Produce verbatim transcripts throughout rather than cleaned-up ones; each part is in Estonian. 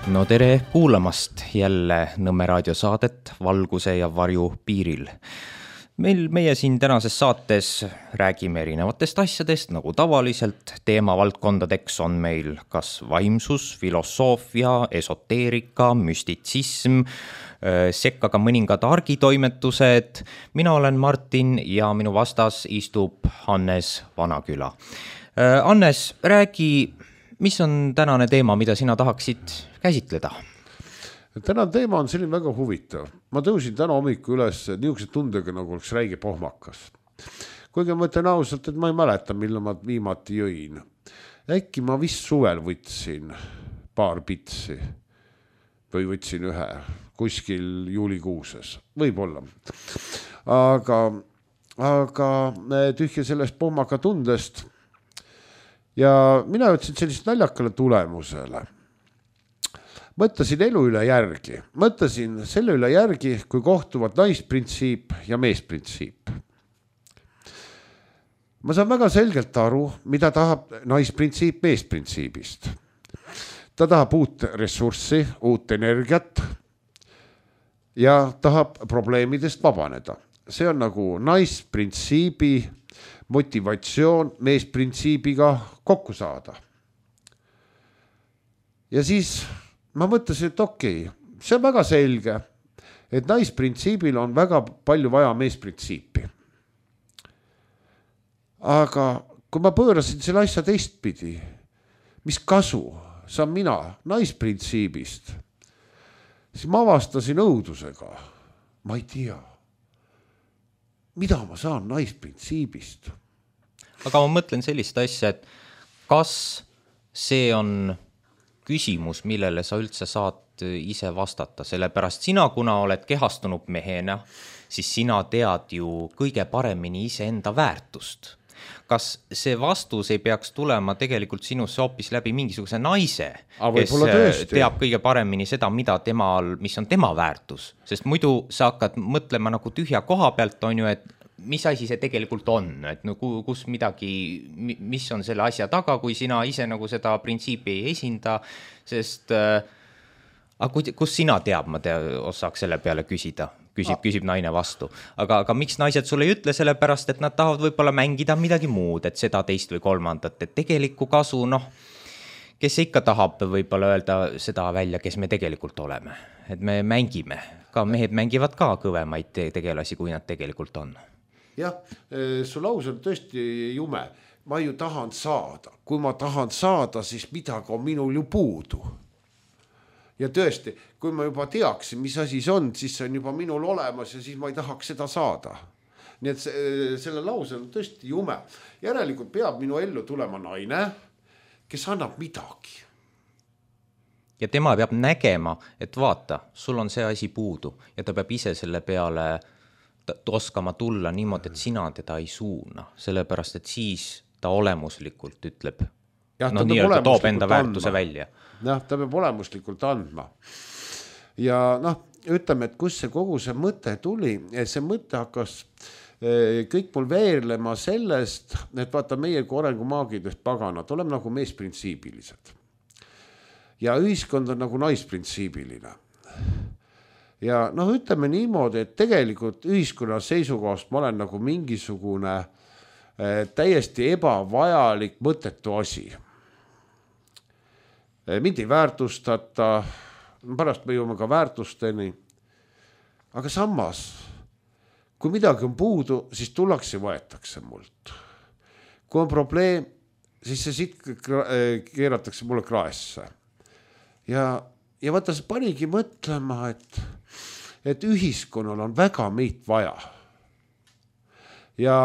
No tere kuulamast jälle Nõmme raadio saadet Valguse ja varju piiril. Meil meie siin tänases saates räägime erinevatest asjadest, nagu tavaliselt. Teemavaldkondadeks on meil kas vaimsus, filosoofia, esoteerika, müstitsism, sekka ka mõningad argitoimetused. Mina olen Martin ja minu vastas istub Hannes Vanaküla. Hannes, räägi, mis on tänane teema, mida sina tahaksid käsitleda? Tänane teema on selline väga huvitav. Ma tõusin täna hommiku üles niisuguse tundega, nagu oleks räige pohmakas. Kuigi ma mõtlen ausalt, et ma ei mäleta, millal ma viimati jõin. Äkki ma vist suvel võtsin paar pitsi või võtsin ühe kuskil juulikuuses. Võib-olla. Aga, aga tühja sellest pohmaka tundest ja mina ütlesin sellist naljakale tulemusele. Mõtlesin elu üle järgi. Mõtlesin selle üle järgi, kui kohtuvad naisprintsiip ja meesprintsiip. Ma saan väga selgelt aru, mida tahab naisprintsiip meesprintsiibist. Ta tahab uut ressurssi, uut energiat ja tahab probleemidest vabaneda. See on nagu naisprintsiibi motivatsioon meesprintsiibiga kokku saada. Ja siis ma mõtlesin, et okei, see on väga selge, et naisprintsiibil on väga palju vaja meesprintsiipi. Aga kui ma pöörasin selle asja teistpidi, mis kasu saan mina naisprintsiibist, siis ma avastasin õudusega. Ma ei tea, mida ma saan naisprintsiibist. Aga ma mõtlen sellist asja, et kas see on küsimus, millele sa üldse saad ise vastata, sellepärast sina, kuna oled kehastunud mehena, siis sina tead ju kõige paremini ise enda väärtust. Kas see vastus ei peaks tulema tegelikult sinusse hoopis läbi mingisuguse naise, kes teab kõige paremini seda, mida temal, mis on tema väärtus? Sest muidu sa hakkad mõtlema nagu tühja koha pealt, on ju, et mis asi see tegelikult on, et no kus midagi, mis on selle asja taga, kui sina ise nagu seda printsiipi ei esinda, sest äh, kus sina teab, ma tea, osaks selle peale küsida, küsib, küsib naine vastu. Aga, aga miks naised sulle ei ütle, sellepärast, et nad tahavad võib-olla mängida midagi muud, et seda teist või kolmandat, et tegelikku kasu, noh, kes ikka tahab võib-olla öelda seda välja, kes me tegelikult oleme, et me mängime, ka mehed mängivad ka kõvemaid tegelasi, kui nad tegelikult on. Jah, su laus on tõesti jume. Ma ju tahan saada. Kui ma tahan saada, siis midagi on minul ju puudu. Ja tõesti, kui ma juba teaksin, mis asi see on, siis see on juba minul olemas ja siis ma ei tahaks seda saada. Nii et see, selle lause on tõesti jume. Järelikult peab minu ellu tulema naine, kes annab midagi. Ja tema peab nägema, et vaata, sul on see asi puudu ja ta peab ise selle peale oskama tulla niimoodi, et sina teda ei suuna, sellepärast, et siis ta olemuslikult ütleb, ja, no nii, ta toob enda väärtuse välja. Jah, ta peab olemuslikult andma. Ja noh, ütleme, et kus see kogu see mõte tuli, see mõte hakkas kõik mul veerlema sellest, et vaata meie kui arengumaagidest paganad, oleme nagu meesprintsiibilised. Ja ühiskond on nagu naisprintsiibiline. Ja noh, ütleme niimoodi, et tegelikult ühiskonna seisukohast ma olen nagu mingisugune täiesti ebavajalik mõttetu asi. Mind ei väärtustata, pärast me jõuame ka väärtusteni, aga samas, kui midagi on puudu, siis tullakse ja võetakse mult. Kui on probleem, siis see siit keeratakse mulle kraesse. Ja, ja vaata, see panigi mõtlema, et et ühiskonnal on väga meid vaja. Ja,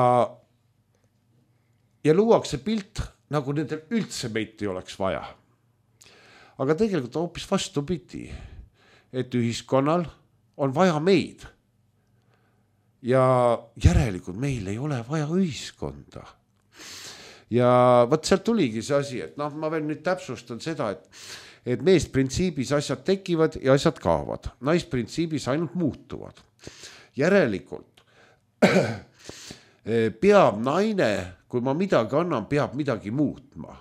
ja luuakse pilt, nagu nendel üldse meid ei oleks vaja. Aga tegelikult hoopis vastupidi, et ühiskonnal on vaja meid. Ja järelikult meil ei ole vaja ühiskonda. Ja võt sealt tuligi see asi, et noh, ma veel nüüd täpsustan seda, et et meesprintsiibis asjad tekivad ja asjad kaovad. Naisprintsiibis ainult muutuvad. Järelikult peab naine, kui ma midagi annan, peab midagi muutma.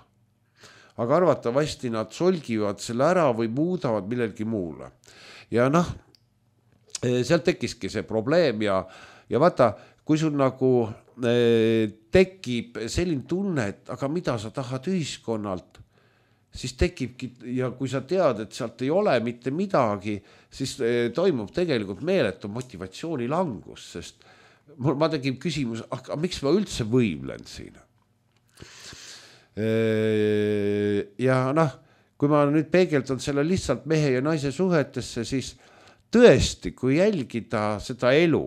aga arvatavasti nad solgivad selle ära või muudavad millelgi muule. Ja noh, sealt tekkiski see probleem ja, ja vaata, kui sul nagu eh, tekib selline tunne, et aga mida sa tahad ühiskonnalt, siis tekibki ja kui sa tead, et sealt ei ole mitte midagi, siis eh, toimub tegelikult meeletu motivatsiooni langus, sest mul, ma tegin küsimus, aga miks ma üldse võimlen siin? E, ja noh, kui ma nüüd peegeldan selle lihtsalt mehe ja naise suhetesse, siis tõesti, kui jälgida seda elu,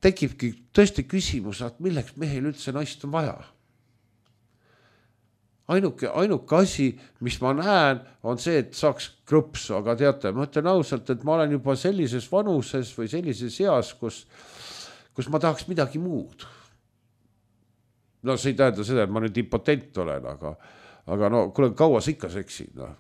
tekibki tõesti küsimus, et milleks mehel üldse naist on vaja. Ainuke, ainuke asi, mis ma näen, on see, et saaks krõpsu, aga teate, ma ütlen ausalt, et ma olen juba sellises vanuses või sellises eas, kus, kus ma tahaks midagi muud. No see ei tähenda seda, et ma nüüd impotent olen, aga, aga no kuule, kaua sa ikka seksid, noh.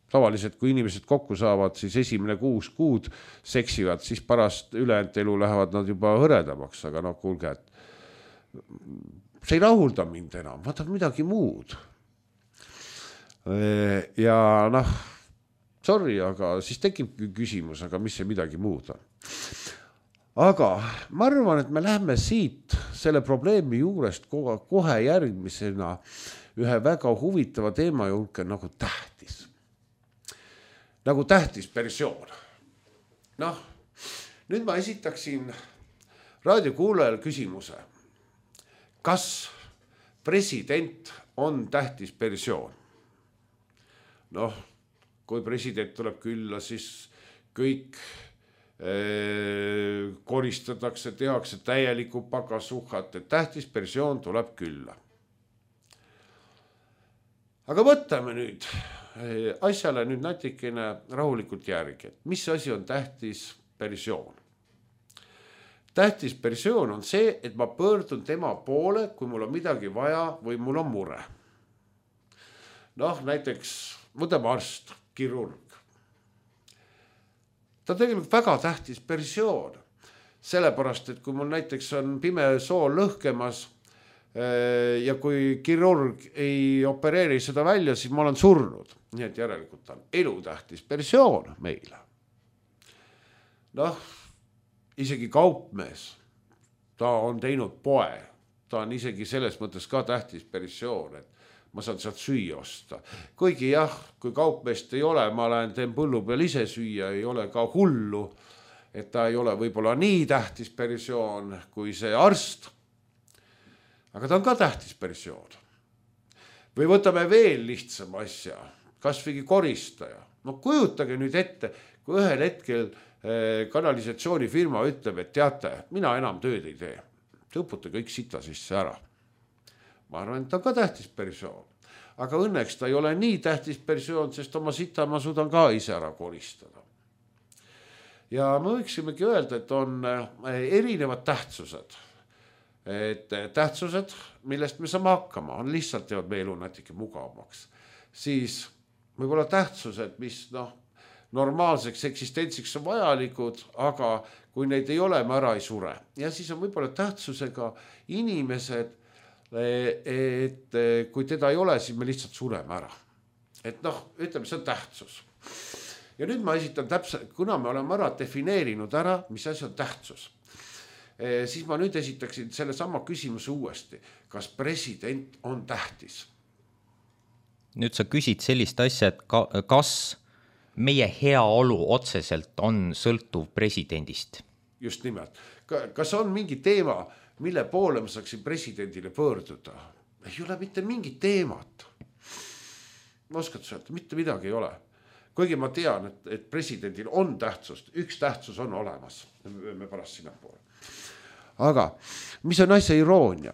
Tavaliselt, kui inimesed kokku saavad, siis esimene kuus kuud seksivad, siis pärast ülejäänud elu lähevad nad juba hõredamaks, aga no kuulge, et see ei rahulda mind enam, ma tahan midagi muud. Ja noh, sorry, aga siis tekib küsimus, aga mis see midagi muud on. Aga ma arvan, et me läheme siit selle probleemi juurest kohe järgmisena ühe väga huvitava teema julke nagu tähtis. Nagu tähtis persoon. Noh, nüüd ma esitaksin raadiokuulajale küsimuse. Kas president on tähtis persoon? Noh, kui president tuleb külla, siis kõik eh, koristatakse, tehakse täieliku pakasuhat, et tähtis persoon tuleb külla. Aga võtame nüüd asjale nüüd natikene rahulikult järgi, et mis asi on tähtis persoon. Tähtis persoon on see, et ma pöördun tema poole, kui mul on midagi vaja või mul on mure. Noh, näiteks võtame arst, kirurg. Ta on tegelikult väga tähtis persoon, sellepärast, et kui mul näiteks on pime soo lõhkemas ja kui kirurg ei opereeri seda välja, siis ma olen surnud. Nii et järelikult on elutähtis persoon meile. Noh, isegi kaupmees, ta on teinud poe. Ta on isegi selles mõttes ka tähtis persoon, et ma saan sealt süüa osta. Kuigi jah, kui kaupmeest ei ole, ma lähen teen põllu peal ise süüa, ei ole ka hullu, et ta ei ole võib-olla nii tähtis persoon kui see arst. Aga ta on ka tähtis persoon. Või võtame veel lihtsama asja, kas või koristaja. No kujutage nüüd ette, kui ühel hetkel kanalisatsioonifirma ütleb, et teate, mina enam tööd ei tee. Tõputa kõik sita sisse ära. Ma arvan, et ta on ka tähtis persoon. Aga õnneks ta ei ole nii tähtis persoon, sest oma sita ma suudan ka ise ära koristada. Ja me võiksimegi öelda, et on erinevad tähtsused. Et tähtsused, millest me saame hakkama, on lihtsalt teevad meie elu natuke mugavamaks. Siis võib-olla tähtsused, mis noh, normaalseks eksistentsiks on vajalikud, aga kui neid ei ole, me ära ei sure. Ja siis on võib-olla tähtsusega inimesed, et kui teda ei ole, siis me lihtsalt sureme ära. Et noh, ütleme, see on tähtsus. Ja nüüd ma esitan täpselt, kuna me oleme ära defineerinud ära, mis asi on tähtsus, siis ma nüüd esitaksin selle sama küsimuse uuesti. Kas president on tähtis? Nüüd sa küsid sellist asja, et ka, kas meie heaolu otseselt on sõltuv presidendist? Just nimelt. Kas on mingi teema, mille poole ma saaksin presidendile pöörduda? Ei ole mitte mingi teemat. Ma oskad öelda, mitte midagi ei ole. Kuigi ma tean, et, et presidendil on tähtsust, üks tähtsus on olemas. Me pärast sinna poole. Aga mis on asja iroonia?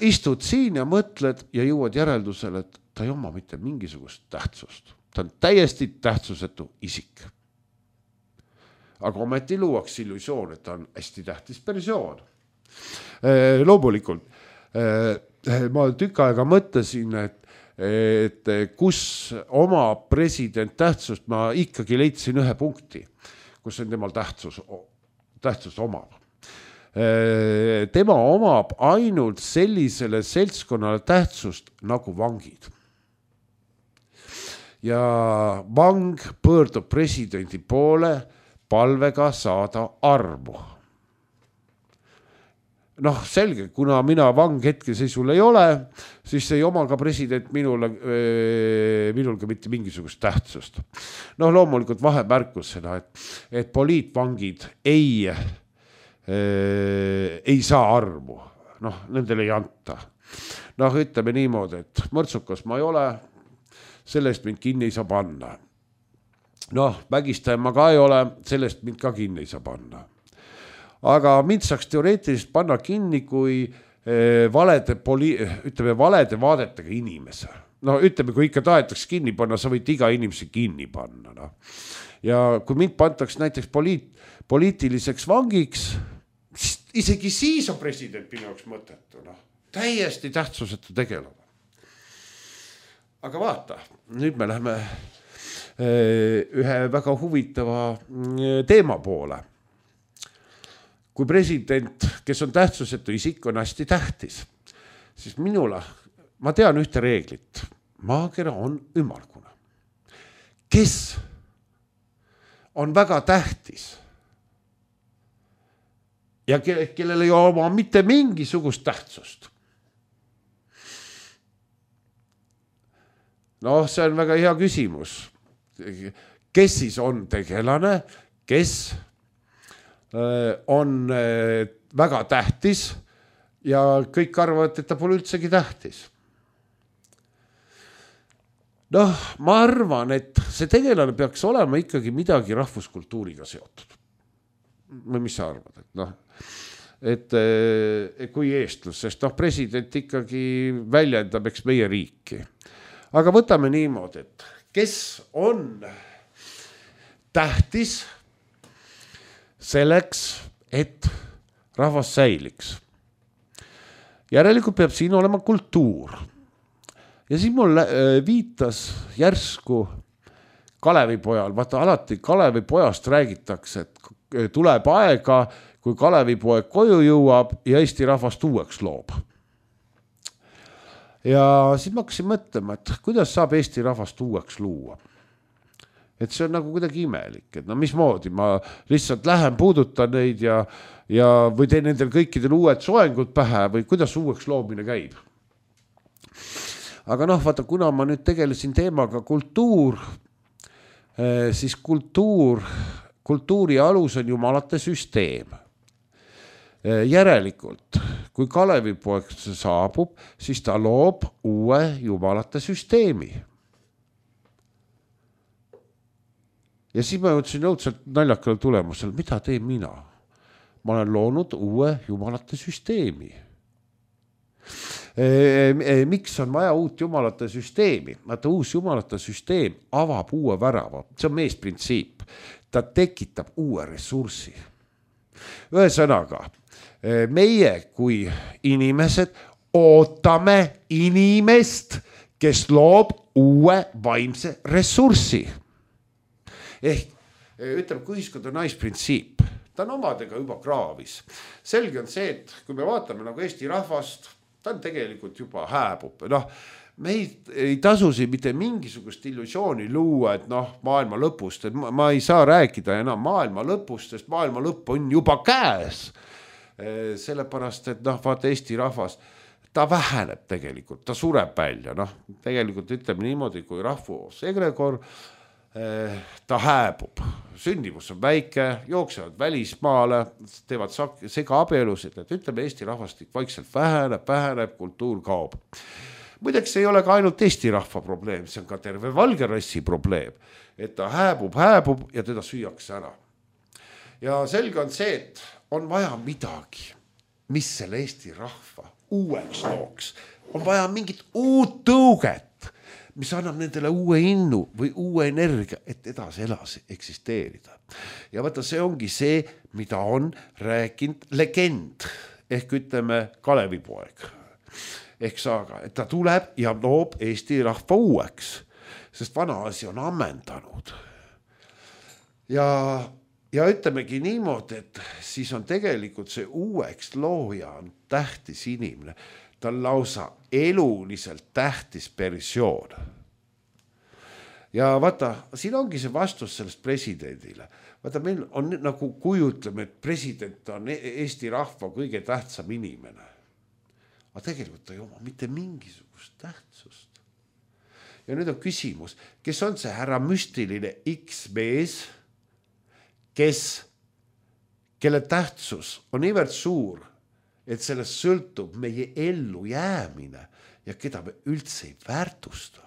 Istud siin ja mõtled ja jõuad järeldusele, et ta ei oma mitte mingisugust tähtsust. Ta on täiesti tähtsusetu isik. Aga ometi luuaks illusioon, et ta on hästi tähtis persoon. Loomulikult, ma tükk aega mõtlesin, et, et kus oma president tähtsust, ma ikkagi leidsin ühe punkti, kus on temal tähtsus, tähtsust omab. tema omab ainult sellisele seltskonnale tähtsust nagu vangid. Ja vang pöördub presidendi poole palvega saada armu. Noh, selge, kuna mina vang hetkeseisul ei ole, siis ei oma ka president minule, minul ka mitte mingisugust tähtsust. Noh, loomulikult vahemärkus seda, et, et poliitvangid ei, ei saa armu. Noh, nendele ei anta. Noh, ütleme niimoodi, et mõrtsukas ma ei ole, sellest mind kinni ei saa panna. Noh, vägistaja ma ka ei ole, sellest mind ka kinni ei saa panna. Aga mind saaks teoreetiliselt panna kinni kui valede, poli, ütleme, valede vaadetega inimese. No ütleme, kui ikka tahetakse kinni panna, sa võid iga inimese kinni panna. No. Ja kui mind pantaks näiteks poliit, poliitiliseks vangiks, isegi siis on president minu jaoks mõttetu. No. Täiesti tähtsusetu tegelane. Aga vaata, nüüd me läheme ühe väga huvitava teema poole. Kui president, kes on tähtsusetu isik, on hästi tähtis, siis minule, ma tean ühte reeglit. Maakera on ümmargune. Kes on väga tähtis ja kellel ei oma mitte mingisugust tähtsust. Noh, see on väga hea küsimus. Kes siis on tegelane, kes on väga tähtis ja kõik arvavad, et ta pole üldsegi tähtis. Noh, ma arvan, et see tegelane peaks olema ikkagi midagi rahvuskultuuriga seotud. Või mis sa arvad? Et, noh, et, et kui eestlus, sest noh, president ikkagi väljendab eks meie riiki. Aga võtame niimoodi, et kes on tähtis selleks, et rahvas säiliks. Järelikult peab siin olema kultuur. Ja siin mul viitas järsku Kalevipojal. Vaata, alati Kalevipojast räägitakse, et tuleb aega, kui Kalevipoeg koju jõuab ja Eesti rahvast uueks loob. Ja siis ma hakkasin mõtlema, et kuidas saab Eesti rahvast uueks luua. Et see on nagu kuidagi imelik, et no mismoodi ma lihtsalt lähen puudutan neid ja, ja või teen nendel kõikidel uued soengud pähe või kuidas uueks loomine käib. Aga noh, vaata, kuna ma nüüd tegelesin teemaga kultuur, siis kultuur, kultuuri alus on jumalate süsteem. Järelikult, kui Kalevipoeg saabub, siis ta loob uue jumalate süsteemi. Ja siis ma jõudsin õudselt naljakale tulemusel, mida teen mina? Ma olen loonud uue jumalate süsteemi. E, e, miks on vaja uut jumalate süsteemi? Vaata, uus jumalate süsteem avab uue värava. See on meesprintsiip. Ta tekitab uue ressursi. Ühesõnaga, meie kui inimesed ootame inimest, kes loob uue vaimse ressurssi. Ehk ütleme, kui ühiskond on naisprintsiip, ta on omadega juba kraavis. Selge on see, et kui me vaatame nagu Eesti rahvast, ta on tegelikult juba hääbub. Noh, me ei, ei tasusi mitte mingisugust illusiooni luua, et noh, maailma lõpust, et ma, ma ei saa rääkida enam maailma lõpust, sest maailma lõpp on juba käes. Sellepärast, et noh, vaata Eesti rahvas, ta väheneb tegelikult, ta sureb välja. Noh, tegelikult ütleme niimoodi, kui rahvus egregor, ta hääbub, sündivus on väike, jooksevad välismaale, teevad sega abielusid, et ütleme Eesti rahvastik vaikselt väheneb, väheneb, kultuur kaob. Muideks ei ole ka ainult Eesti rahva probleem, see on ka terve valge rassi probleem, et ta hääbub, hääbub ja teda süüakse ära. Ja selge on see, et on vaja midagi, mis selle Eesti rahva uueks looks. On vaja mingit uut tõuget, mis annab nendele uue innu või uue energia, et edasi elasi eksisteerida. Ja vaata, see ongi see, mida on rääkinud legend, ehk ütleme Kalevipoeg. Ehk saaga, et ta tuleb ja loob Eesti rahva uueks, sest vana asi on ammendanud. Ja, ja ütlemegi niimoodi, et siis on tegelikult see uueks looja on tähtis inimene. Ta on lausa eluliselt tähtis persoon. Ja vaata, siin ongi see vastus sellest presidendile. Vaata, meil on nagu kujutleme, et president on Eesti rahva kõige tähtsam inimene. Aga tegelikult ei oma mitte mingisugust tähtsust. Ja nüüd on küsimus, kes on see härra müstiline X-mees, kes, kelle tähtsus on niivõrd suur, et sellest sõltub meie ellu jäämine ja keda me üldse ei väärtusta.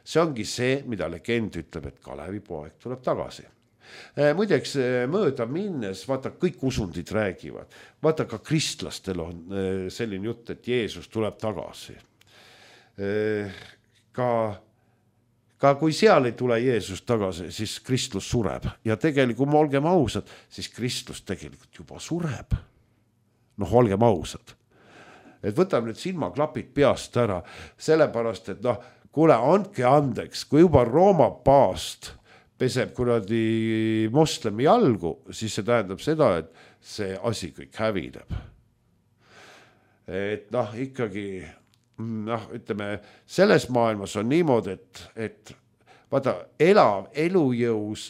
See ongi see, mida legend ütleb, et Kalevi poeg tuleb tagasi. Muideks mööda minnes, vaata, kõik usundid räägivad. Vaata, ka kristlastel on selline jutt, et Jeesus tuleb tagasi. Ka, ka kui seal ei tule Jeesus tagasi, siis Kristus sureb. Ja tegelikult, kui me olgem ausad, siis Kristus tegelikult juba sureb. Noh, olgem ausad. Et võtame nüüd silmaklapid peast ära, sellepärast, et noh, kuule, andke andeks, kui juba Rooma paast peseb kuradi moslemi jalgu, siis see tähendab seda, et see asi kõik hävineb. Et noh, ikkagi, noh, ütleme, selles maailmas on niimoodi, et, et vaata, elav elujõus,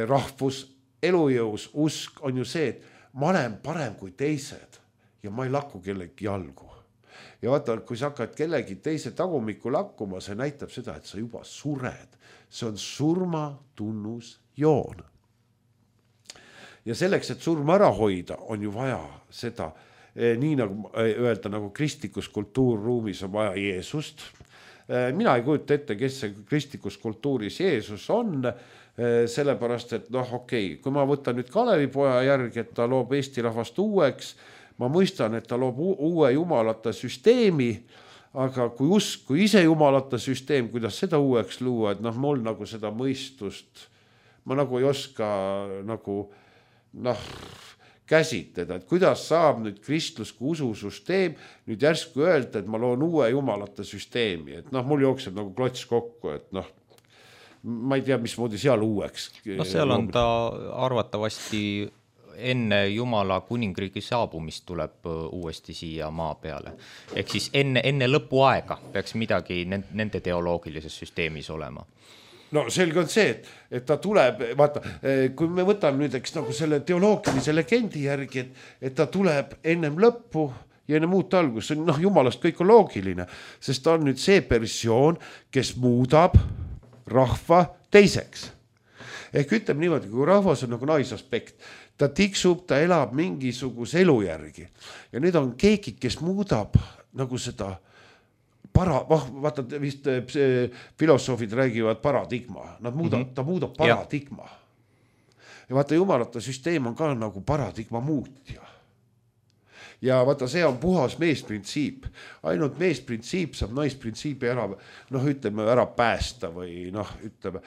rahvus, elujõus, usk on ju see, et ma olen parem kui teised ja ma ei lakku kellegi jalgu. Ja vaata, kui sa hakkad kellegi teise tagumikku lakkuma, see näitab seda, et sa juba sured. See on surma tunnus joon. Ja selleks, et surma ära hoida, on ju vaja seda, nii nagu öelda, nagu kristlikus kultuurruumis on vaja Jeesust. Mina ei kujuta ette, kes see kristlikus kultuuris Jeesus on, sellepärast, et noh, okei, kui ma võtan nüüd Kalevipoja järgi, et ta loob Eesti rahvast uueks, ma mõistan, et ta loob uue jumalate süsteemi, aga kui usk, kui ise jumalate süsteem, kuidas seda uueks luua, et noh, mul nagu seda mõistust, ma nagu ei oska nagu noh, käsitleda, et kuidas saab nüüd kristlusku ususüsteem nüüd järsku öelda, et ma loon uue jumalate süsteemi, et noh, mul jookseb nagu klots kokku, et noh, ma ei tea, mismoodi seal uueks. No seal on ta arvatavasti enne Jumala kuningriigi saabumist tuleb uuesti siia maa peale. Ehk siis enne, enne lõpuaega peaks midagi nende teoloogilises süsteemis olema. No selge on see, et, et ta tuleb, vaata, kui me võtame nüüd eks nagu selle teoloogilise legendi järgi, et, et ta tuleb ennem lõppu ja ennem uut algus, see on noh, jumalast kõik on loogiline, sest ta on nüüd see persoon, kes muudab rahva teiseks. Ehk ütleme niimoodi, kui rahvas on nagu naisaspekt, ta tiksub, ta elab mingisuguse elu järgi. Ja nüüd on keegi, kes muudab nagu seda para, vaata vist filosoofid räägivad paradigma. Nad muudab, mm-hmm. Ta muudab paradigma. Ja. ja vaata, jumalate süsteem on ka nagu paradigma muutja. Ja vaata, see on puhas meesprintsiip. Ainult meesprintsiip saab naisprintsiibi ära, noh, ütleme, ära päästa või noh, ütleme.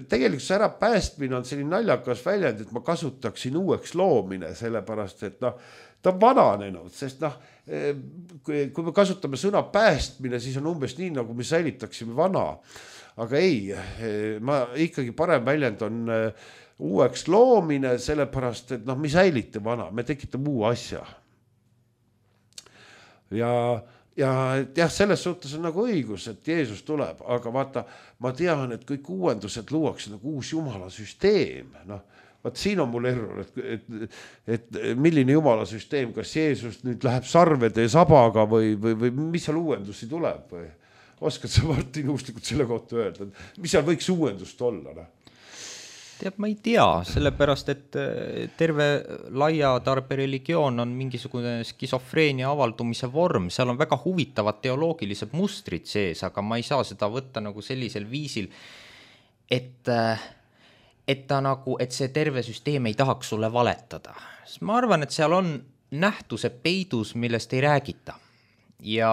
Tegelikult see ära päästmine on selline naljakas väljend, et ma kasutaksin uueks loomine, sellepärast, et noh, ta on vananenud, sest noh, kui me kasutame sõna päästmine, siis on umbes nii, nagu me säilitaksime vana. Aga ei, ma ikkagi parem väljend on uueks loomine, sellepärast, et noh, me säilite vana, me tekitame uu asja. Ja, ja jah, selles suhtes on nagu õigus, et Jeesus tuleb, aga vaata, ma tean, et kõik uuendused luuakse nagu uus jumala süsteem. Noh, vaat siin on mul error, et, et, et milline jumala süsteem, kas Jeesus nüüd läheb sarvede sabaga või, või, või mis seal uuendusi tuleb? Või? Oskad sa Martin Uuslikult selle kohta öelda, mis seal võiks uuendust olla? Ne? Teab, ma ei tea, sellepärast, et terve laia tarbe religioon on mingisugune skisofreenia avaldumise vorm, seal on väga huvitavad teoloogilised mustrid sees, aga ma ei saa seda võtta nagu sellisel viisil, et, et, ta nagu, et see terve süsteem ei tahaks sulle valetada. Ma arvan, et seal on nähtuse peidus, millest ei räägita. Ja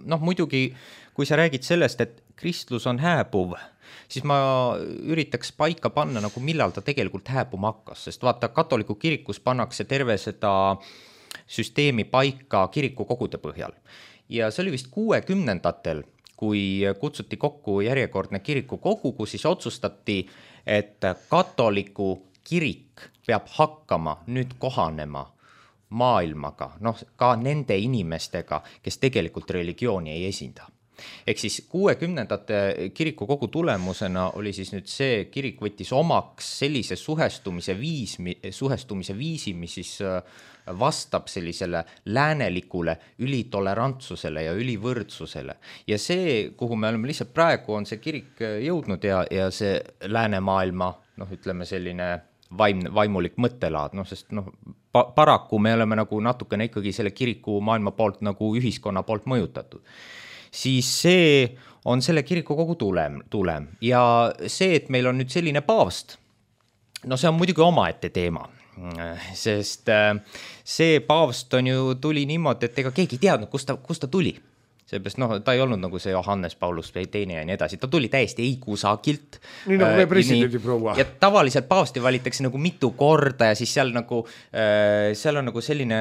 noh, muidugi, kui sa räägid sellest, et kristlus on hääbuv, siis ma üritaks paika panna, nagu millal ta tegelikult hääbuma hakkas, sest vaata, katoliku kirikus pannakse terve seda süsteemi paika kiriku kogude põhjal. Ja see oli vist kuuekümnendatel, kui kutsuti kokku järjekordne kirikukogu, kus siis otsustati, et katoliku kirik peab hakkama nüüd kohanema maailmaga, noh ka nende inimestega, kes tegelikult religiooni ei esinda. Ehk siis kuuekümnendate kirikukogu tulemusena oli siis nüüd see kirik võttis omaks sellise suhestumise, viis, suhestumise viisi, mis siis vastab sellisele läänelikule ülitolerantsusele ja ülivõrdsusele. Ja see, kuhu me oleme lihtsalt praegu, on see kirik jõudnud ja, ja see läänemaailma, noh ütleme selline vaim, vaimulik mõttelaad, noh sest noh, pa, paraku me oleme nagu natukene ikkagi selle kiriku maailma poolt nagu ühiskonna poolt mõjutatud. Siis see on selle kirikukogu tulem, tulem. Ja see, et meil on nüüd selline paavst, no see on muidugi omaette teema, sest see paavst on ju tuli niimoodi, et ega keegi teadnud, kust ta, kust ta tuli. Seepärast, noh, ta ei olnud nagu see Johannes Paulus või teine ja nii edasi, ta tuli täiesti ei kusagilt. Nii nagu meie presidendi proua. Ja tavaliselt paavsti valitakse nagu mitu korda ja siis seal nagu, seal on nagu selline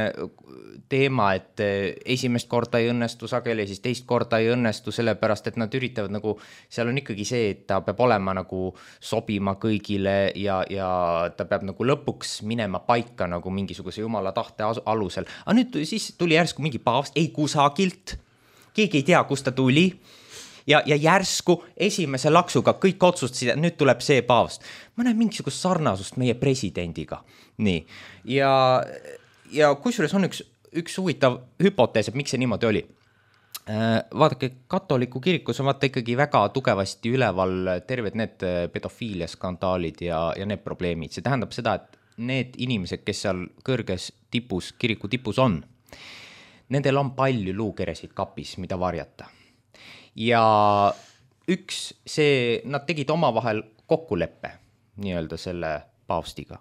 teema, et esimest korda ei õnnestu sageli ja siis teist korda ei õnnestu, sellepärast, et nad üritavad nagu, seal on ikkagi see, et ta peab olema nagu sobima kõigile ja, ja ta peab nagu lõpuks minema paika nagu mingisuguse jumala tahte alusel. Aga nüüd siis tuli järsku mingi paavst, ei kusagilt, keegi ei tea, kust ta tuli ja, ja järsku esimese laksuga kõik otsustasid, et nüüd tuleb see paavst. Ma näen mingisugust sarnasust meie presidendiga. Nii. Ja, ja kusjuures on üks, üks huvitav hüpotees, et miks see niimoodi oli. Vaadake, katoliku kirikus on vaata ikkagi väga tugevasti üleval terved need pedofiilia skandaalid ja, ja need probleemid. See tähendab seda, et need inimesed, kes seal kõrges tipus, kiriku tipus on, nendel on palju luukeresid kapis, mida varjata. Ja üks see, nad tegid omavahel kokkuleppe nii-öelda selle paavstiga,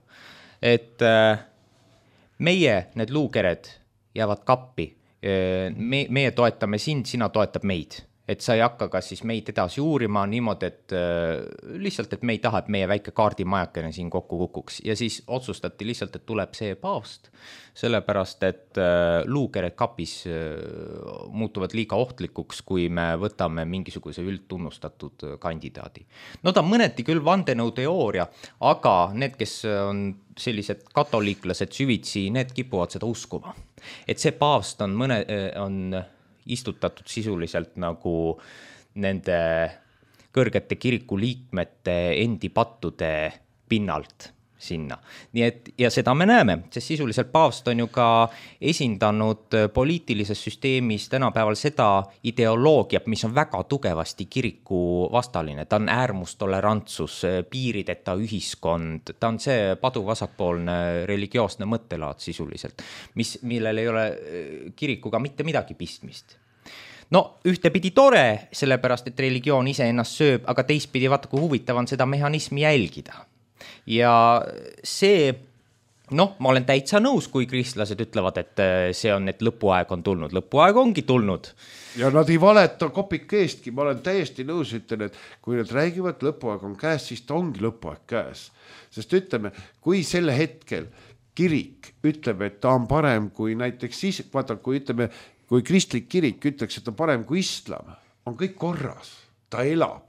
et meie need luukered jäävad kappi, me, meie toetame sind, sina toetab meid. Et sa ei hakka ka siis meid edasi uurima niimoodi, et äh, lihtsalt, et me ei taha, et meie väike kaardimajakene siin kokku kukuks. Ja siis otsustati lihtsalt, et tuleb see paavst, sellepärast, et äh, luukered kapis äh, muutuvad liiga ohtlikuks, kui me võtame mingisuguse üldtunnustatud kandidaadi. No ta mõneti küll vandenõuteooria, aga need, kes on sellised katoliiklased süvitsi, need kipuvad seda uskuma. Et see paavst on mõne, on istutatud sisuliselt nagu nende kõrgete kiriku liikmete endi pattude pinnalt sinna. Nii et, ja seda me näeme, sest sisuliselt paavst on ju ka esindanud poliitilises süsteemis tänapäeval seda ideoloogiat, mis on väga tugevasti kiriku vastaline. Ta on äärmustolerantsus, piirideta ühiskond, ta on see paduvasakpoolne religioosne mõttelaad sisuliselt, mis, millel ei ole kirikuga mitte midagi pistmist. No ühtepidi tore, sellepärast et religioon ise ennast sööb, aga teistpidi vaata, kui huvitav on seda mehhanismi jälgida. Ja see, noh, ma olen täitsa nõus, kui kristlased ütlevad, et see on, et lõpuaeg on tulnud. Lõpuaeg ongi tulnud. Ja nad ei valeta kopik eestki. Ma olen täiesti nõus, ütlen, et kui nad räägivad, lõpuaeg on käes, siis ta ongi lõpuaeg käes. Sest ütleme, kui selle hetkel kirik ütleb, et ta on parem kui näiteks siis, vaata, kui ütleme, kui kristlik kirik ütleks, et ta on parem kui islam, on kõik korras, ta elab.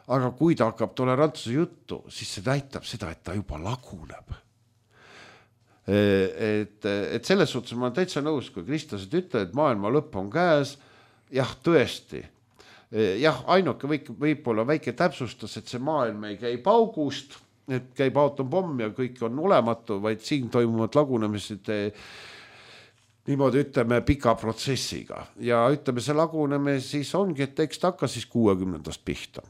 Aga kui ta hakkab tolerantsuse juttu, siis see näitab seda, et ta juba laguneb. Et, et selles suhtes ma olen täitsa nõus, kui kristlased ütlevad, et maailma lõpp on käes, jah, tõesti. Jah, ainuke võib, võib olla väike täpsustas, et see maailm ei käi paugust, et käib aatompomm ja kõik on olematu, vaid siin toimuvad lagunemised niimoodi ütleme pika protsessiga ja ütleme see laguneme siis ongi, et eks ta hakka siis kuuekümnendast pihta.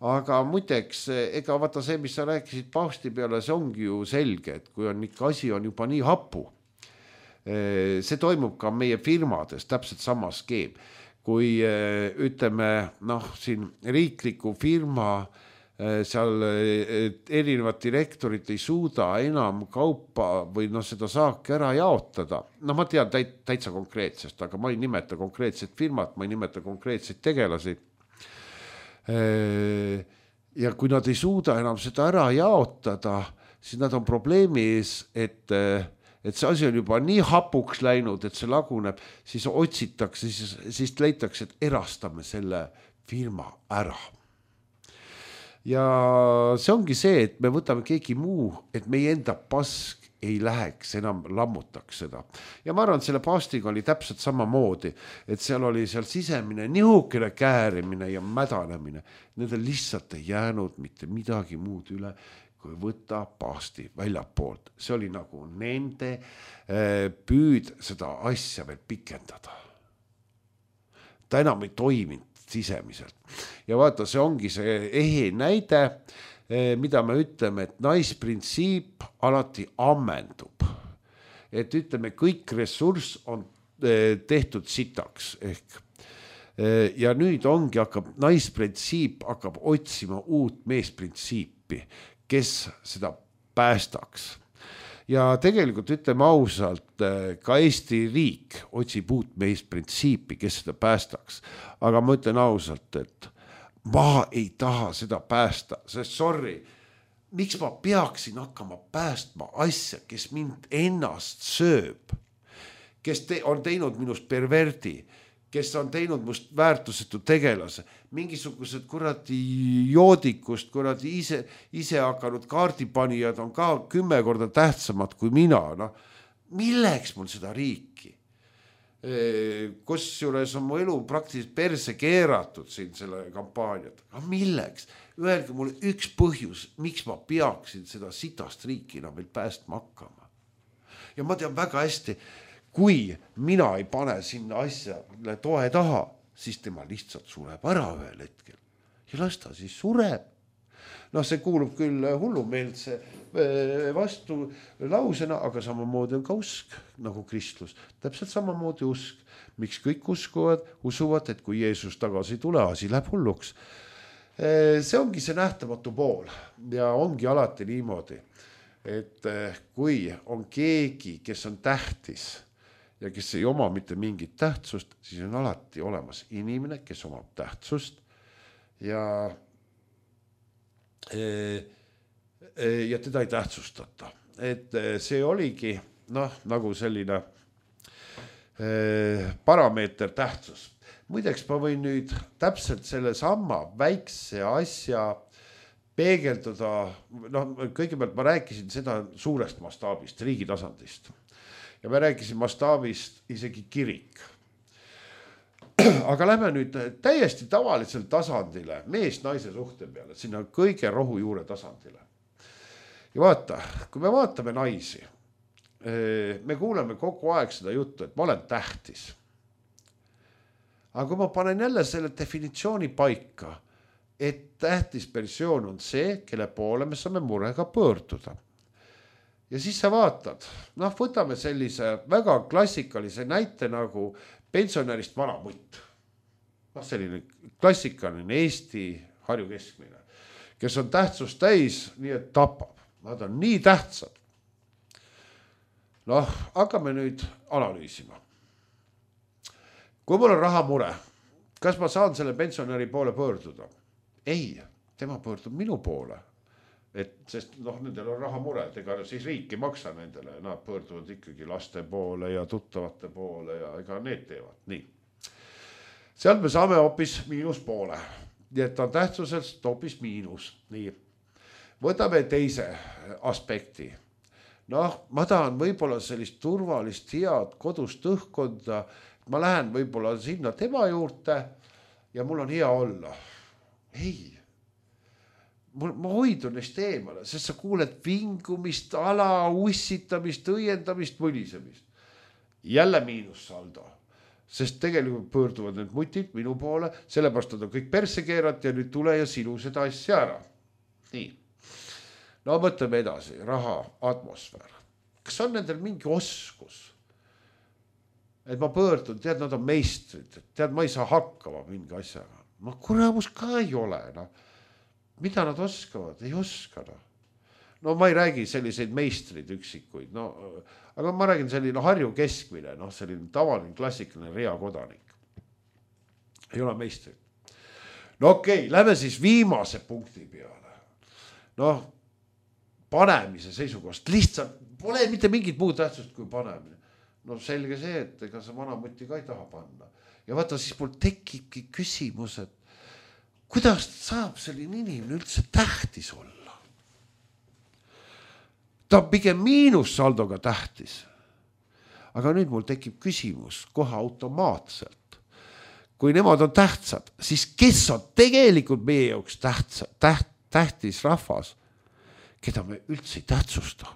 Aga muideks, ega vaata see, mis sa rääkisid paavsti peale, see ongi ju selge, et kui on ikka asi on juba nii hapu, see toimub ka meie firmades täpselt sama skeem. Kui ütleme, noh, siin riikliku firma seal erinevad direktorid ei suuda enam kaupa või noh, seda saaki ära jaotada. No ma tean täit, täitsa konkreetsest, aga ma ei nimeta konkreetset firmat, ma ei nimeta konkreetseid tegelasi. Ja kui nad ei suuda enam seda ära jaotada, siis nad on probleemi ees, et, et see asi on juba nii hapuks läinud, et see laguneb, siis otsitakse, siis, siis leitakse, et erastame selle firma ära. Ja see ongi see, et me võtame keegi muu, et meie enda pask ei läheks enam lammutaks seda. Ja ma arvan, et selle paastiga oli täpselt sama moodi, et seal oli seal sisemine nihukene käärimine ja mädanemine. Nendel lihtsalt ei jäänud mitte midagi muud üle, kui võtta paasti väljapoolt. See oli nagu nende püüd seda asja veel pikendada. Ta enam ei toiminud sisemiselt. Ja vaata, see ongi see ehe näide, mida me ütleme, et naisprintsiip alati ammendub. Et ütleme, kõik ressurss on tehtud sitaks. Ehk. Ja nüüd ongi hakkab, naisprintsiip hakkab otsima uut meesprintsiipi, kes seda päästaks. Ja tegelikult ütleme ausalt, ka Eesti riik otsib uut meesprintsiipi, kes seda päästaks. Aga ma ütlen ausalt, et ma ei taha seda päästa, sest sorry, miks ma peaksin hakkama päästma asja, kes mind ennast sööb, kes te, on teinud minust perverdi, kes on teinud must väärtusetu tegelase, mingisugused kuradi joodikust, kuradi ise, ise hakanud kaardipanijad on ka kümme korda tähtsamad kui mina. No, milleks mul seda riiki? Kus juures on mu elu praktiliselt perse keeratud siin selle kampaaniat. Aga milleks? Öelge mulle üks põhjus, miks ma peaksin seda sitast riikina veel päästma hakkama. Ja ma tean väga hästi, kui mina ei pane sinna asja toe taha, siis tema lihtsalt sureb ära ühel hetkel. Ja las ta siis sureb. No see kuulub küll hullumeelse vastu lausena, aga samamoodi on ka usk, nagu kristlus. Täpselt samamoodi usk. Miks kõik uskuvad, usuvad, et kui Jeesus tagasi tule, asi läheb hulluks. See ongi see nähtamatu pool ja ongi alati niimoodi, et kui on keegi, kes on tähtis, ja kes ei oma mitte mingit tähtsust, siis on alati olemas inimene, kes omab tähtsust ja, ja teda ei tähtsustata. Et see oligi noh, nagu selline parameeter tähtsus. Muideks ma võin nüüd täpselt selle sama väikse asja peegelduda, noh, kõigepealt ma rääkisin seda suurest mastaabist, riigi tasandist. Ja me rääkisin mastaabist isegi kirik. Aga lähme nüüd täiesti tavalisel tasandile, mees-naise suhte peale, sinna kõige rohujuure tasandile. Ja vaata, kui me vaatame naisi, me kuuleme kogu aeg seda juttu, et ma olen tähtis. Aga kui ma panen jälle selle definitsiooni paika, et tähtis persoon on see, kelle poole me saame murega pöörduda. Ja siis sa vaatad, noh, võtame sellise väga klassikalise näite nagu pensionärist vanamutt. Noh, selline klassikaline Eesti Harju keskmine, kes on tähtsust täis, nii et tapab. Nad on nii tähtsad. Noh, hakkame nüüd analüüsima. Kui mul on rahamure, kas ma saan selle pensionäri poole pöörduda? Ei, tema pöördub minu poole. Et, sest noh, nendel on rahamured, ega siis riik ei maksa nendele, nad pöörduvad ikkagi laste poole ja tuttavate poole ja ega need teevad. Nii. Sealt me saame hoopis miinus poole. Nii et on tähtsuselt hoopis miinus. Nii. Võtame teise aspekti. Noh, ma tahan võib-olla sellist turvalist head kodust õhkonda. Ma lähen võib-olla sinna tema juurde ja mul on hea olla. Ei. Ma hoidun neist eemale, sest sa kuuled vingumist, ala, ussitamist, õiendamist, mõlisemist. Jälle miinussaldo, sest tegelikult pöörduvad need mutid minu poole, sellepärast nad on kõik perse keerat ja nüüd tule ja sinu seda asja ära. Nii. No mõtleme edasi, raha, atmosfäär. Kas on nendel mingi oskus? Et ma pöördun, tead, nad on meistrid, tead, ma ei saa hakkama mingi asjaga. No kuramus ka ei ole, noh. Mida nad oskavad? Ei oska. No. no ma ei räägi selliseid meistrid üksikuid, no, aga ma räägin selline Harju keskmine, no, selline tavaline klassikaline reakodanik. Ei ole meistrid. No okei, okay, lähme siis viimase punkti peale. Noh, panemise seisukohast. Lihtsalt pole mitte mingit muud tähtsust kui panemine. No selge see, et ega sa vanamutti ka ei taha panna. Ja vaata, siis mul tekibki küsimus, et kuidas saab selline inimene üldse tähtis olla? Ta on pigem miinussaldoga tähtis. Aga nüüd mul tekib küsimus kohe automaatselt. Kui nemad on tähtsad, siis kes on tegelikult meie jaoks tähtsa, täht, tähtis rahvas, keda me üldse ei tähtsusta?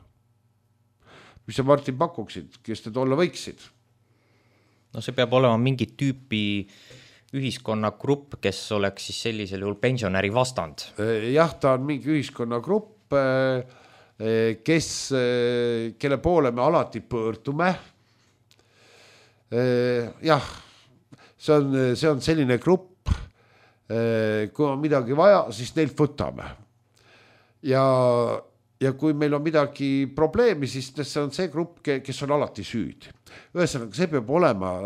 Mis sa, Martin, pakuksid, kes te olla võiksid? No see peab olema mingi tüüpi ühiskonnagrupp, kes oleks siis sellisel juhul pensionäri vastand. Jah, ta on mingi ühiskonnagrupp, kes, kelle poole me alati pöördume. Jah, see on, see on selline grupp, kui on midagi vaja, siis neilt võtame. Ja, ja kui meil on midagi probleemi, siis see on see grupp, kes on alati süüdi. Ühesõnaga, see peab olema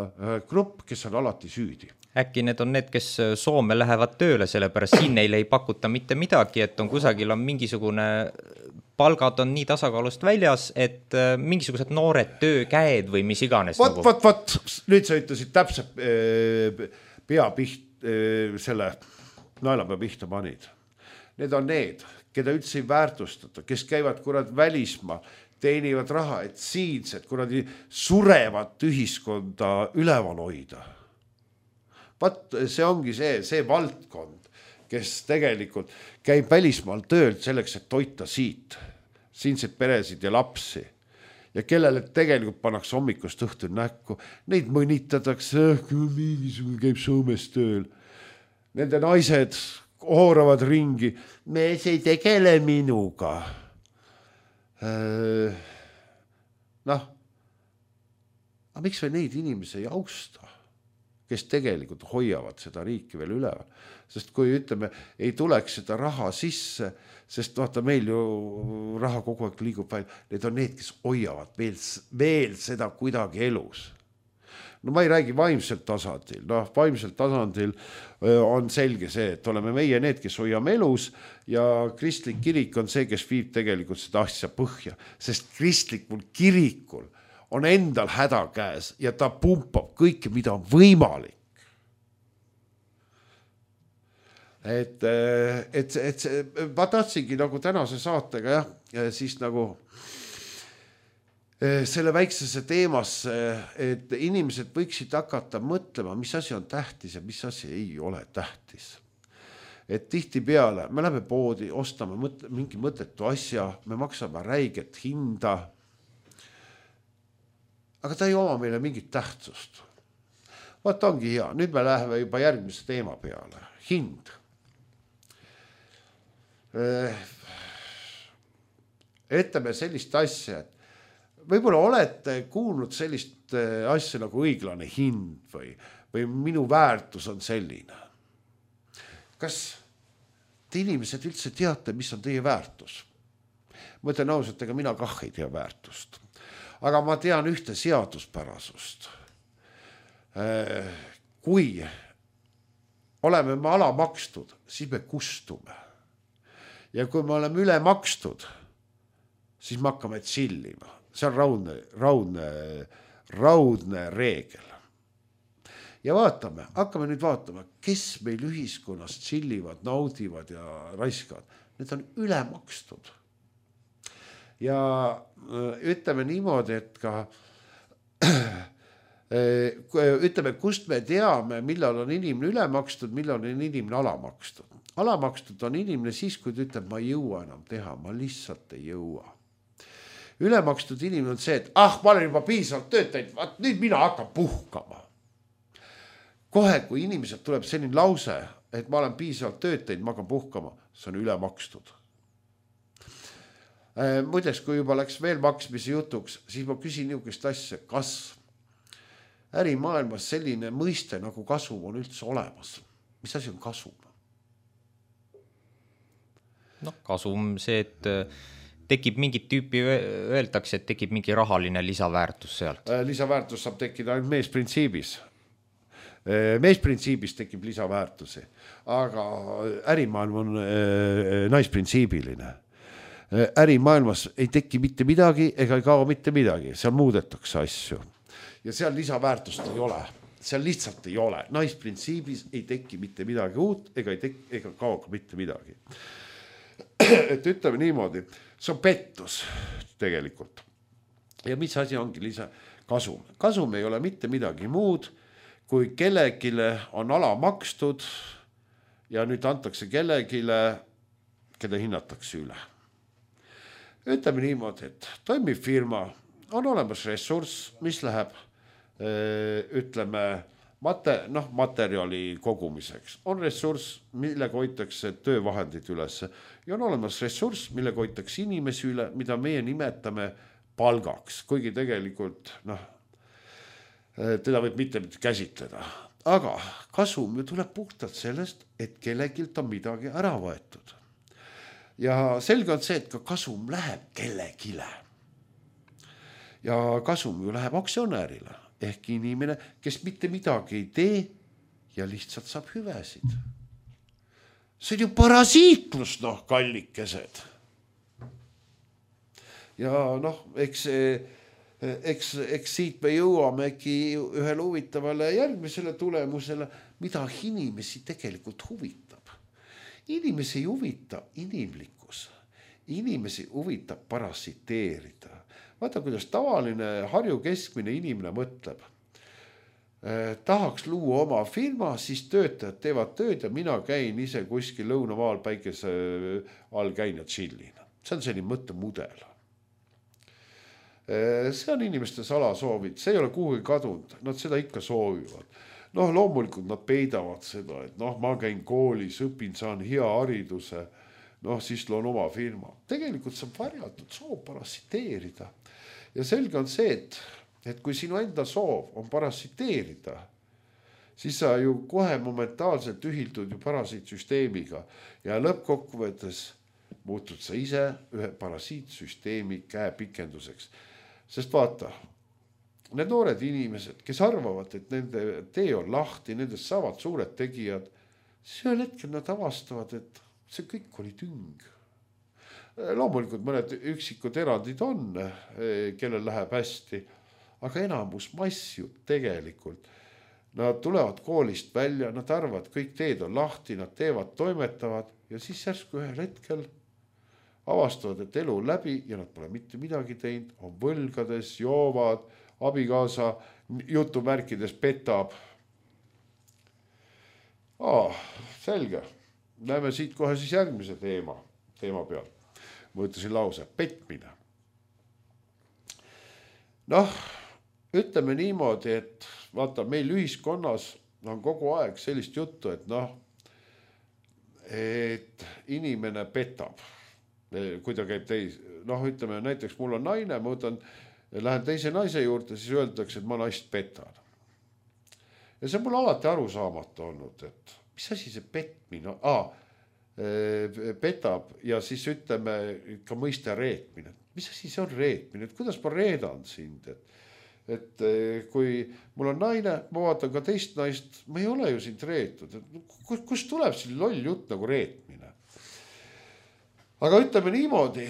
grupp, kes on alati süüdi. Äkki need on need, kes Soome lähevad tööle, sellepärast siin neile ei pakuta mitte midagi, et on kusagil on mingisugune, palgad on nii tasakaalust väljas, et mingisugused noored töökäed või mis iganes. Vot, nagu. vot, vot, nüüd sa ütlesid täpselt pea piht, selle naelapea pihta panid. Need on need, keda üldse ei väärtustata, kes käivad kurad välismaa, teenivad raha, et siinsed kuradi surevat ühiskonda üleval hoida. Vat see ongi see, see valdkond, kes tegelikult käib välismaal töölt selleks, et toita siit, siinseid peresid ja lapsi. Ja kellele tegelikult pannakse hommikust õhtul näkku, neid mõnitatakse, mingisugune käib Soomes tööl. Nende naised hooravad ringi, me ei tegele minuga. Noh, aga miks või neid inimesi ei austa? Kes tegelikult hoiavad seda riiki veel üleval. Sest kui ütleme, ei tuleks seda raha sisse, sest vaata meil ju raha kogu aeg liigub välja, need on need, kes hoiavad veel, veel seda kuidagi elus. No ma ei räägi vaimselt tasandil, noh vaimselt tasandil on selge see, et oleme meie need, kes hoiame elus ja kristlik kirik on see, kes viib tegelikult seda asja põhja, sest kristlikul kirikul on endal häda käes ja ta pumpab kõike, mida on võimalik. Et, et, et ma tahtsingi nagu tänase saatega jah, siis nagu selle väiksese teemasse, et inimesed võiksid hakata mõtlema, mis asi on tähtis ja mis asi ei ole tähtis. Et tihti peale, me läheme poodi, ostame mõt- mingi mõttetu asja, me maksame räiget hinda, aga ta ei oma meile mingit tähtsust. Vaat ongi hea, nüüd me läheme juba järgmise teema peale. Hind. Etteme sellist asja, et võib-olla olete kuulnud sellist asja nagu õiglane hind või, või minu väärtus on selline. Kas te inimesed üldse teate, mis on teie väärtus? Ma ütlen ausalt, ega mina kah ei tea väärtust. Aga ma tean ühte seaduspärasust. Kui oleme me alamakstud, siis me kustume. Ja kui me oleme üle makstud, siis me hakkame tsillima. See on raudne, raudne, raudne reegel. Ja vaatame, hakkame nüüd vaatama, kes meil ühiskonnas tsillivad, naudivad ja raiskavad. Need on üle makstud. Ja ütleme niimoodi, et ka ütleme, kust me teame, millal on inimene ülemakstud, millal on inimene alamakstud. Alamakstud on inimene siis, kui ta ütleb, ma ei jõua enam teha, ma lihtsalt ei jõua. Ülemakstud inimene on see, et ah, ma olen juba piisavalt töötajaid, vaat nüüd mina hakkan puhkama. Kohe, kui inimesed tuleb selline lause, et ma olen piisavalt töötajaid, ma hakkan puhkama, see on ülemakstud. Muideks, kui juba läks veel maksmise jutuks, siis ma küsin niisugust asja, kas ärimaailmas selline mõiste nagu kasum on üldse olemas? Mis asi on kasum? No kasum see, et tekib mingit tüüpi, öeldakse, et tekib mingi rahaline lisaväärtus sealt. Lisaväärtus saab tekkida ainult meesprintsiibis. Meesprintsiibis tekib lisaväärtusi, aga ärimaailm on naisprintsiibiline. Ärimaailmas ei teki mitte midagi ega ei kao mitte midagi, seal muudetakse asju. Ja seal lisaväärtust ei ole. seal lihtsalt ei ole, naisprintsiibis ei teki mitte midagi uut ega ei tek- ega kao ka mitte midagi. Et ütleme niimoodi, see on pettus tegelikult. Ja mis asi ongi lisa kasum? Kasum ei ole mitte midagi muud, kui kellegile on ala makstud ja nüüd antakse kellegile, keda hinnatakse üle. Ütleme niimoodi, et toimib firma, on olemas ressurss, mis läheb ütleme mate, noh, materjali kogumiseks. On ressurss, millega hoitakse töövahendid üles ja on olemas ressurss, millega hoitakse inimesi üle, mida meie nimetame palgaks, kuigi tegelikult noh, teda võib mitte käsitleda. Aga kasum ju tuleb puhtalt sellest, et kellegilt on midagi ära võetud. Ja selge on see, et ka kasum läheb kellegile. Ja kasum ju läheb aktsionäärile ehk inimene, kes mitte midagi ei tee ja lihtsalt saab hüvesid. See on ju parasiitlus, noh, kallikesed. Ja noh, eks, eks, eks siit me jõuamegi ühele huvitavale järgmisele tulemusele, mida inimesi tegelikult huvitab. Inimesi ei huvita inimlikkus. Inimesi huvitab parasiteerida. Vaata, kuidas tavaline Harju keskmine inimene mõtleb. Eh, tahaks luua oma firma, siis töötajad teevad tööd ja mina käin ise kuskil lõunamaal päikese all käin ja chillin. See on selline mõttemudel. Eh, see on inimeste salasoovid, see ei ole kuhugi kadunud, nad seda ikka soovivad. Noh, loomulikult nad peidavad seda, et noh, ma käin koolis, õpin, saan hea hariduse, noh, siis loon oma firma. Tegelikult see on varjatud soov parasiteerida. Ja selge on see, et, et kui sinu enda soov on parasiteerida, siis sa ju kohe momentaalselt ühildud ju parasiitsüsteemiga ja lõppkokkuvõttes muutud sa ise ühe parasiitsüsteemi käepikenduseks. Sest vaata, need noored inimesed, kes arvavad, et nende tee on lahti, nendest saavad suured tegijad, see hetkel nad avastavad, et see kõik oli tüng. Loomulikult mõned üksikud erandid on, kellel läheb hästi, aga enamus mass ju tegelikult. Nad tulevad koolist välja, nad arvavad, kõik teed on lahti, nad teevad, toimetavad ja siis järsku ühel hetkel avastavad, et elu on läbi ja nad pole mitte midagi teinud, on võlgades, joovad, abikaasa jutumärkides petab. Aa, selge. Näeme siit kohe siis järgmise teema, teema peal. Ma ütlesin lause, petmine. Noh, ütleme niimoodi, et vaata, meil ühiskonnas on kogu aeg sellist juttu, et noh, et inimene petab, kui ta käib teis. Noh, ütleme näiteks mul on naine, ma võtan, lähen teise naise juurde, siis öeldakse, et ma naist petan. Ja see on mul alati arusaamatu olnud, et mis asi see petmine? Aa, petab ja siis ütleme ka mõiste reetmine. Mis asi see on reetmine? Et kuidas ma reedan sind? Et, et kui mul on naine, ma vaatan ka teist naist, ma ei ole ju sind reetud. Et kus tuleb siin loll jutt nagu reetmine? Aga ütleme niimoodi,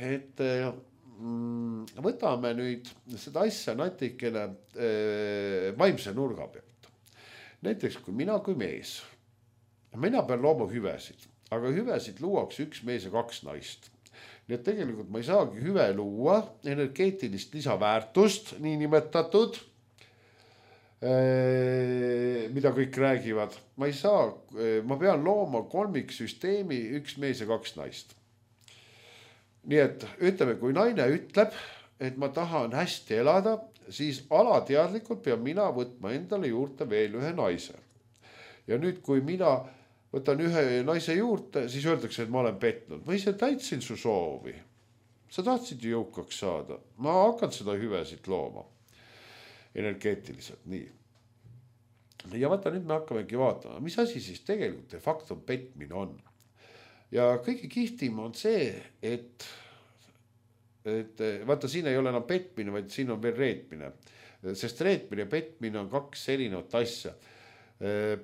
et mm, võtame nüüd seda asja natikene eh, vaimse nurga pealt. Näiteks kui mina kui mees, mina pean looma hüvesid. Aga hüvesid luuakse üks mees ja kaks naist. Nii et tegelikult ma ei saagi hüve luua, energeetilist lisaväärtust, nii nimetatud, mida kõik räägivad. Ma ei saa, ma pean looma kolmiksüsteemi üks mees ja kaks naist. Nii et ütleme, kui naine ütleb, et ma tahan hästi elada, siis alateadlikult pean mina võtma endale juurde veel ühe naise. Ja nüüd, kui mina võtan ühe naise juurde, siis öeldakse, et ma olen petnud. Ma ise täitsin su soovi. Sa tahtsid ju jõukaks saada. Ma hakkan seda hüvesid looma. Energeetiliselt, nii. Ja vaata, nüüd me hakkamegi vaatama, mis asi siis tegelikult de facto petmine on. Ja kõige kihtim on see, et, et vaata, siin ei ole enam petmine, vaid siin on veel reetmine. Sest reetmine ja petmine on kaks erinevat asja.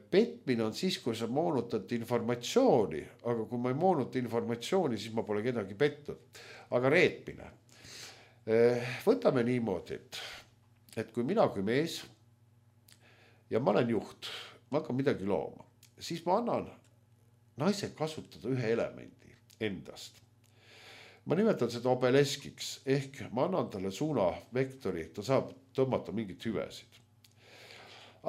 Petmine on siis, kui sa moonutad informatsiooni, aga kui ma ei moonuta informatsiooni, siis ma pole kedagi petnud. Aga reetmine. Võtame niimoodi, et, et kui mina kui mees ja ma olen juht, ma hakkan midagi looma, siis ma annan naise kasutada ühe elemendi endast. Ma nimetan seda obeleskiks ehk ma annan talle suunavektori, ta saab tõmmata mingit hüvesid.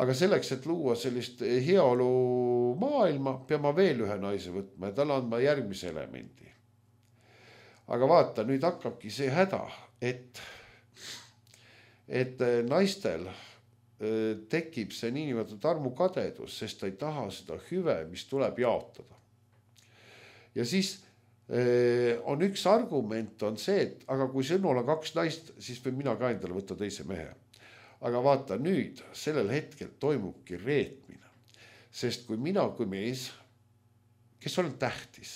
Aga selleks, et luua sellist heaolu maailma, pean ma veel ühe naise võtma ja talle andma järgmise elemendi. Aga vaata, nüüd hakkabki see häda, et, et naistel tekib see niinimetatud armukadedus, sest ta ei taha seda hüve, mis tuleb jaotada. Ja siis on üks argument on see, et aga kui sõnul on kaks naist, siis võin mina ka endale võtta teise mehe. Aga vaata nüüd, sellel hetkel toimubki reetmine. Sest kui mina kui mees, kes olen tähtis,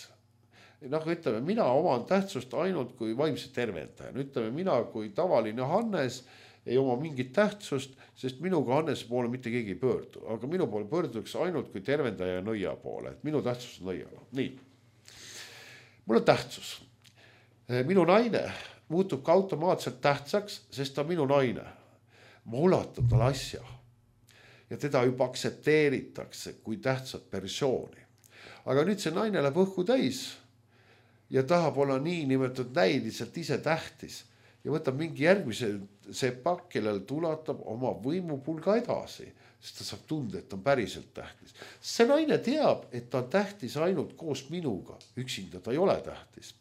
noh, ütleme, mina oman tähtsust ainult kui vaimse tervendaja. Ütleme, mina kui tavaline Hannes ei oma mingit tähtsust, sest minuga Hannese poole mitte keegi ei pöördu. Aga minu poole pöörduks ainult kui tervendaja ja nõia poole. Et minu tähtsus on nõiala. Nii. Mul on tähtsus. Minu naine muutub ka automaatselt tähtsaks, sest ta on minu naine. Ma ulatab talle asja ja teda juba aksepteeritakse kui tähtsat persooni. Aga nüüd see naine läheb õhku täis ja tahab olla nii nimetatud näiliselt ise tähtis ja võtab mingi järgmise sepa, kellel tulatab oma võimupulga edasi, sest ta saab tunda, et ta on päriselt tähtis. See naine teab, et ta on tähtis ainult koos minuga, üksinda ta ei ole tähtis.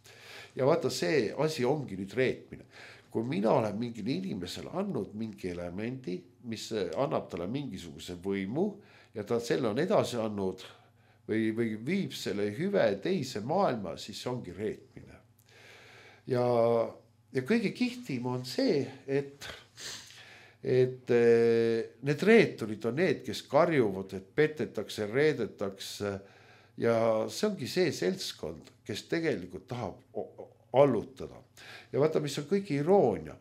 Ja vaata, see asi ongi nüüd reetmine. Kui mina olen mingil inimesel andnud mingi elemendi, mis annab talle mingisuguse võimu ja ta selle on edasi andnud või, või viib selle hüve teise maailma, siis ongi reetmine. Ja, ja kõige kihtim on see, et et need reeturid on need, kes karjuvad, et petetakse, reedetakse ja see ongi see seltskond, kes tegelikult tahab allutada. Ja vaata, mis on kõige iroonia,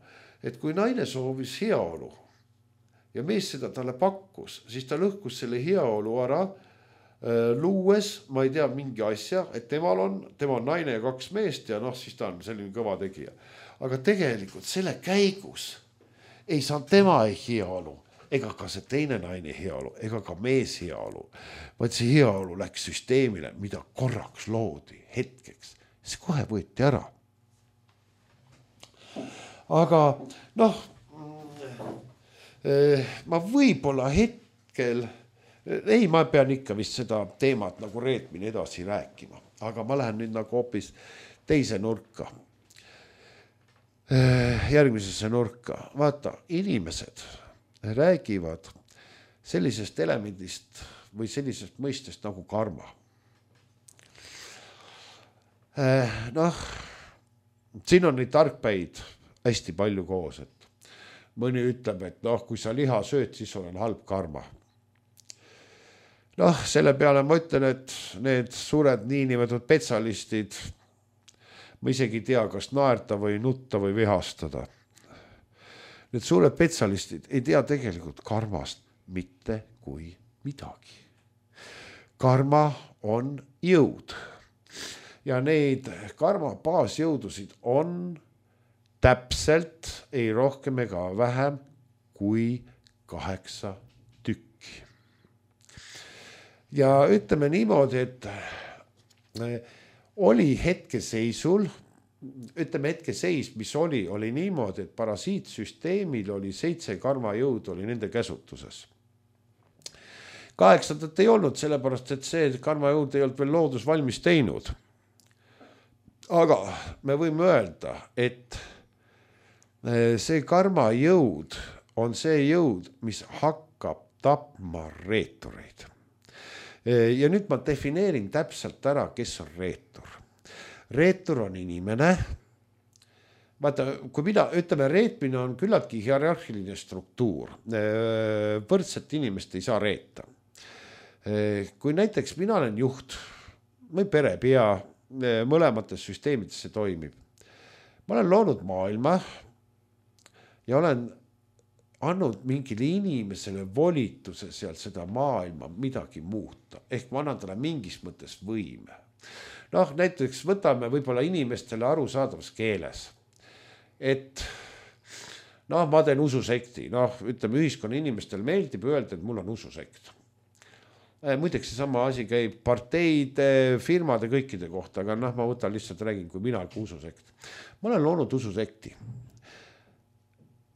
et kui naine soovis heaolu ja mees seda talle pakkus, siis ta lõhkus selle heaolu ära, luues, ma ei tea, mingi asja, et temal on, tema on naine ja kaks meest ja noh, siis ta on selline kõva tegija. Aga tegelikult selle käigus ei saanud tema heaolu, ega ka see teine naine heaolu, ega ka mees heaolu. Vaid see heaolu läks süsteemile, mida korraks loodi hetkeks. See kohe võeti ära. Aga noh, ma võib-olla hetkel, ei, ma pean ikka vist seda teemat nagu reetmine edasi rääkima, aga ma lähen nüüd nagu hoopis teise nurka. Järgmisesse nurka. Vaata, inimesed räägivad sellisest elemendist või sellisest mõistest nagu karma. Noh, siin on neid tarkpäid hästi palju koos, et mõni ütleb, et noh, kui sa liha sööd, siis on halb karma. Noh, selle peale ma ütlen, et need suured niinimetatud petsalistid, ma isegi ei tea, kas naerta või nutta või vihastada. Need suured petsalistid ei tea tegelikult karmast mitte kui midagi. Karma on jõud. Ja neid karma baasjõudusid on täpselt, ei rohkem ega vähem kui kaheksa tükki. Ja ütleme niimoodi, et oli hetkeseisul, ütleme hetkeseis, mis oli, oli niimoodi, et parasiitsüsteemil oli seitse karmajõud oli nende käsutuses. Kaheksandat ei olnud, sellepärast, et see karmajõud ei olnud veel loodus valmis teinud. Aga me võime öelda, et see karmajõud on see jõud, mis hakkab tapma reetureid. Ja nüüd ma defineerin täpselt ära, kes on reetur. Reetur on inimene. Vaata, kui mina, ütleme, reetmine on küllaltki hierarhiline struktuur. Võrdset inimest ei saa reeta. Kui näiteks mina olen juht või perepea, mõlemates süsteemides see toimib. Ma olen loonud maailma ja olen andnud mingile inimesele volituse seal seda maailma midagi muuta. Ehk ma annan talle mingis mõttes võime. Noh, näiteks võtame võib-olla inimestele arusaadavas keeles. Et noh, ma teen ususekti, noh, ütleme, ühiskonna inimestel meeldib öelda, et mul on ususekt. Muideks see sama asi käib parteide, firmade, kõikide kohta, aga noh, ma võtan lihtsalt räägin, kui mina kui ususekt. Ma olen loonud ususekti.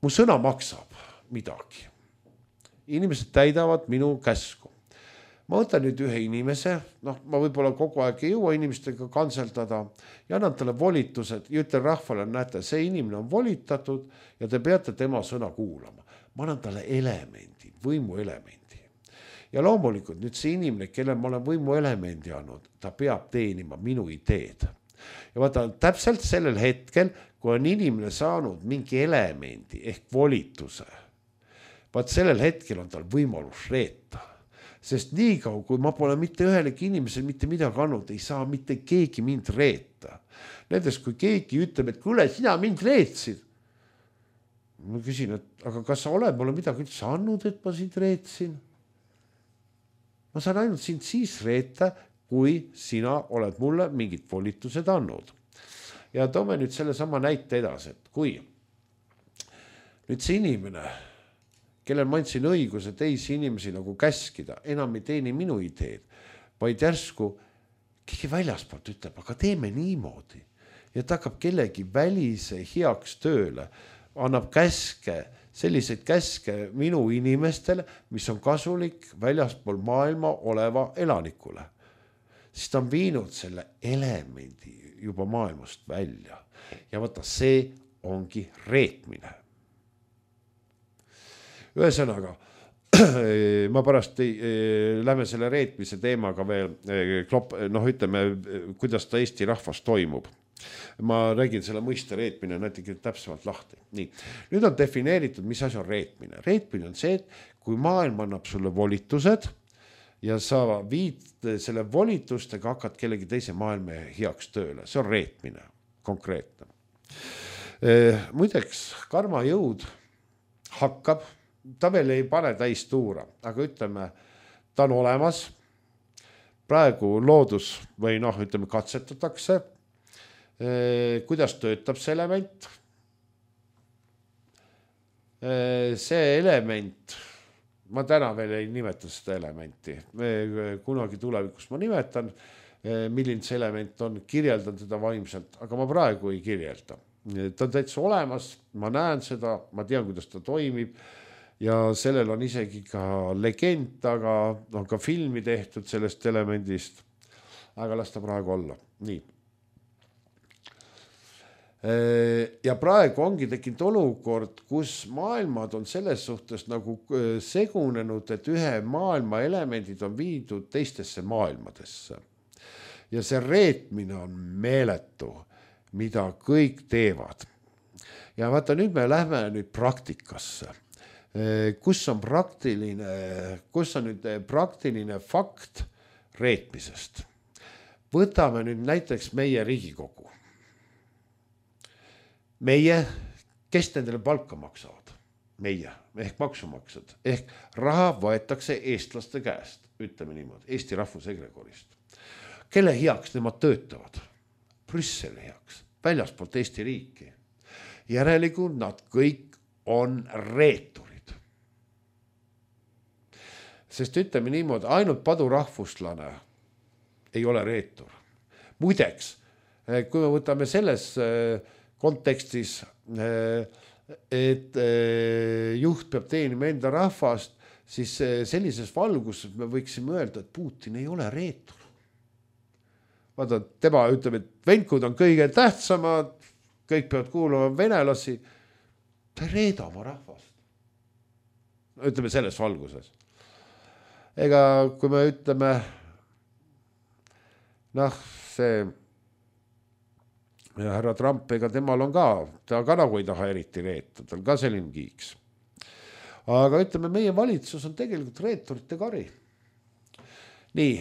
Mu sõna maksab midagi. Inimesed täidavad minu käsku. Ma võtan nüüd ühe inimese, noh, ma võib-olla kogu aeg ei jõua inimestega kanseldada ja annan talle volitused ja ütlen rahvale, näete, see inimene on volitatud ja te peate tema sõna kuulama. Ma annan talle elemendi, võimu elemendi. Ja loomulikult nüüd see inimene, kelle ma olen võimu elemendi andnud, ta peab teenima minu ideed. Ja vaata, täpselt sellel hetkel, kui on inimene saanud mingi elemendi ehk volituse, vaat sellel hetkel on tal võimalus reeta. Sest nii kaua, kui ma pole mitte ühelegi inimesel mitte midagi andnud, ei saa mitte keegi mind reeta. Näiteks, kui keegi ütleb, et kuule, sina mind reetsid. Ma küsin, et aga kas sa oled mulle midagi üldse andnud, et ma sind reetsin? Ma saan ainult sind siis reeta, kui sina oled mulle mingid volitused andnud. Ja toome nüüd selle sama näite edasi, et kui nüüd see inimene, kellel ma andsin õiguse teisi inimesi nagu käskida, enam ei teeni minu ideed, vaid järsku keegi väljaspoolt ütleb, aga teeme niimoodi. Ja ta hakkab kellegi välise heaks tööle, annab käske, selliseid käske minu inimestele, mis on kasulik väljaspool maailma oleva elanikule. Siis ta on viinud selle elemendi juba maailmast välja. Ja vaata, see ongi reetmine. Ühesõnaga, ma pärast ei, lähme selle reetmise teemaga veel, klop, noh, ütleme, kuidas ta Eesti rahvas toimub. Ma räägin selle mõiste reetmine näiteks täpsemalt lahti. Nii. Nüüd on defineeritud, mis asi on reetmine. Reetmine on see, et kui maailm annab sulle volitused ja sa viid selle volitustega hakkad kellegi teise maailma heaks tööle. See on reetmine, konkreetne. Muideks, karma jõud hakkab, ta veel ei pane täis tuura, aga ütleme, ta on olemas. Praegu loodus või noh, ütleme, katsetatakse, kuidas töötab see element. See element, ma täna veel ei nimeta seda elementi. Kunagi tulevikus ma nimetan, milline see element on, kirjeldan teda vaimselt, aga ma praegu ei kirjelda. Ta on täitsa olemas, ma näen seda, ma tean, kuidas ta toimib ja sellel on isegi ka legend, aga on ka filmi tehtud sellest elemendist, aga las ta praegu olla. Nii. Ja praegu ongi tekkinud olukord, kus maailmad on selles suhtes nagu segunenud, et ühe maailma elemendid on viidud teistesse maailmadesse. Ja see reetmine on meeletu, mida kõik teevad. Ja vaata, nüüd me lähme nüüd praktikasse. Kus on praktiline, kus on nüüd praktiline fakt reetmisest? Võtame nüüd näiteks meie Riigikogu. Meie, kes nendele palka maksavad? Meie, ehk maksumaksjad. Ehk raha võetakse eestlaste käest, ütleme niimoodi, Eesti rahvusegregorist. Kelle heaks nemad töötavad? Brüsseli heaks, väljaspoolt Eesti riiki. Järelikult nad kõik on reeturid. Sest ütleme niimoodi, ainult padurahvuslane ei ole reetur. Muideks, kui me võtame selles kontekstis, et juht peab teenima enda rahvast, siis sellises valguses me võiksime öelda, et Putin ei ole reetur. Vaata, tema ütleb, et venkud on kõige tähtsamad, kõik peavad kuulama venelasi. Ta ei reeda oma rahvast. Ütleme selles valguses. Ega kui me ütleme, noh, see ja härra Trump, ega temal on ka, ta ka nagu ei taha eriti reeta, ta on ka selline kiiks. Aga ütleme, meie valitsus on tegelikult reeturite kari. Nii,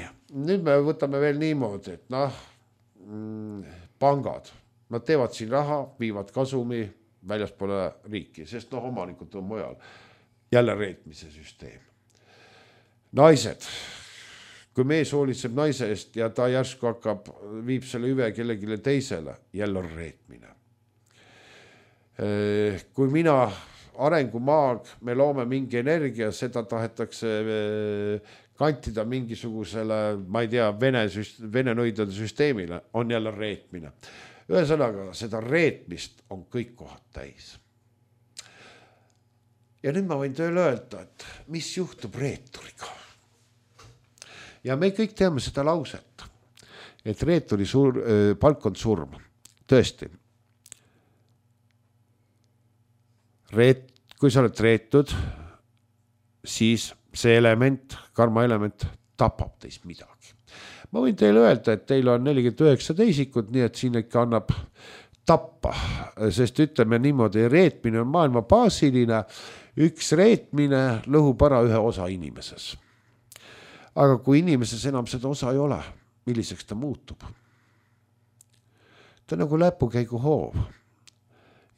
nüüd me võtame veel niimoodi, et noh, pangad, nad teevad siin raha, viivad kasumi väljaspoole riiki, sest noh, omanikud on mujal. Jälle reetmise süsteem. Naised. Kui mees hoolitseb naise eest ja ta järsku hakkab, viib selle hüve kellegile teisele, jälle on reetmine. Kui mina arengumaag, me loome mingi energia, seda tahetakse kantida mingisugusele, ma ei tea, vene, vene nõidade süsteemile, on jälle reetmine. Ühesõnaga, seda reetmist on kõik kohad täis. Ja nüüd ma võin tööle öelda, et mis juhtub reeturiga. Ja me kõik teame seda lauset, et reeturi sur, palk on surm. Tõesti. Reet, kui sa oled reetud, siis see element, karma element tapab teist midagi. Ma võin teile öelda, et teil on nelikümmend üheksa teisikut, nii et siin ikka annab tappa, sest ütleme niimoodi, reetmine on maailma baasiline, üks reetmine lõhub ära ühe osa inimeses. Aga kui inimeses enam seda osa ei ole, milliseks ta muutub? Ta on nagu läpukäigu hoov.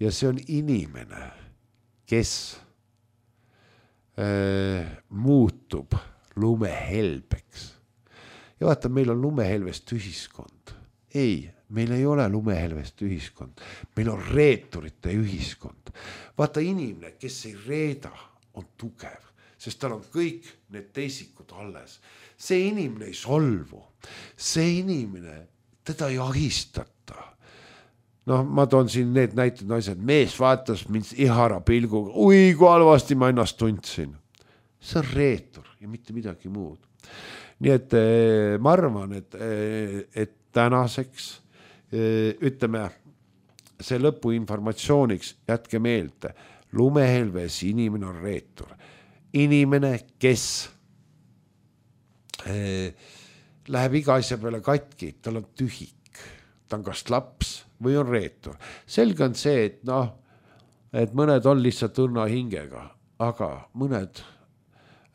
Ja see on inimene, kes äh, muutub lumehelbeks. Ja vaata, meil on lumehelvest ühiskond. Ei, meil ei ole lumehelvest ühiskond. Meil on reeturite ühiskond. Vaata, inimene, kes ei reeda, on tugev, sest tal on kõik need teisikud alles. See inimene ei solvu. See inimene, teda ei ahistata. No ma toon siin need näited naised. Mees vaatas mind ihara pilguga. Ui, kui halvasti ma ennast tundsin. See on reetur ja mitte midagi muud. Nii et ma arvan, et, et tänaseks ütleme see lõpu informatsiooniks jätke meelde. Lumehelves inimene on reetur. Inimene, kes eh, läheb iga asja peale katki, tal on tühik. Ta on kas laps või on reetur. Selge on see, et, noh, et mõned on lihtsalt õrna hingega, aga mõned,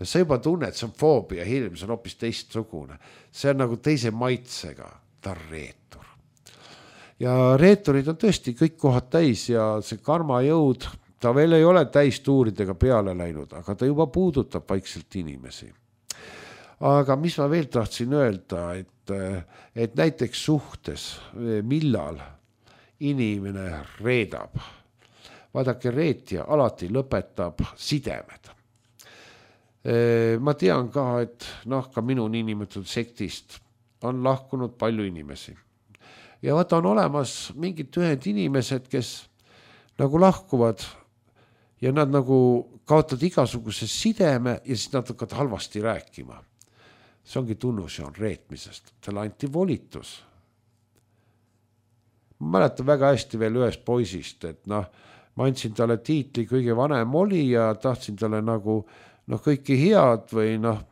sa juba tunned, see on foobia, hirm, see on hoopis teistsugune. See on nagu teise maitsega, ta on reetur. Ja reeturid on tõesti kõik kohad täis ja see karmajõud, ta veel ei ole täistuuridega peale läinud, aga ta juba puudutab vaikselt inimesi. Aga mis ma veel tahtsin öelda, et, et näiteks suhtes, millal inimene reedab. Vaadake, reetja alati lõpetab sidemed. Ma tean ka, et noh, ka minu niinimetatud sektist on lahkunud palju inimesi. Ja vaata, on olemas mingid ühed inimesed, kes nagu lahkuvad ja nad nagu kaotavad igasuguse sideme ja siis nad hakkavad halvasti rääkima. See ongi tunnus ja on reetmisest. Talle anti volitus. Ma mäletan väga hästi veel ühest poisist, et noh, ma andsin talle tiitli kõige vanem oli ja tahtsin talle nagu noh, kõiki head või noh,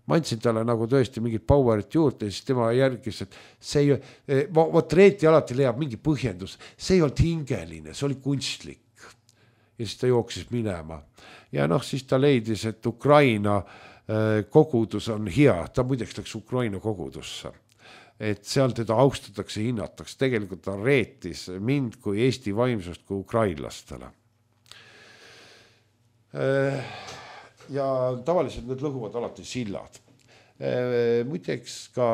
ma andsin talle nagu tõesti mingit powerit juurde ja siis tema järgis, et see ei, vot reeti alati leiab mingi põhjendus. See ei olnud hingeline, see oli kunstlik. Ja siis ta jooksis minema. Ja noh, siis ta leidis, et Ukraina kogudus on hea. Ta muideks läks Ukraina kogudusse. Et seal teda austatakse, hinnatakse. Tegelikult ta reetis mind kui Eesti vaimsust kui ukrainlastele. Ja tavaliselt need lõhuvad alati sillad. Muideks ka,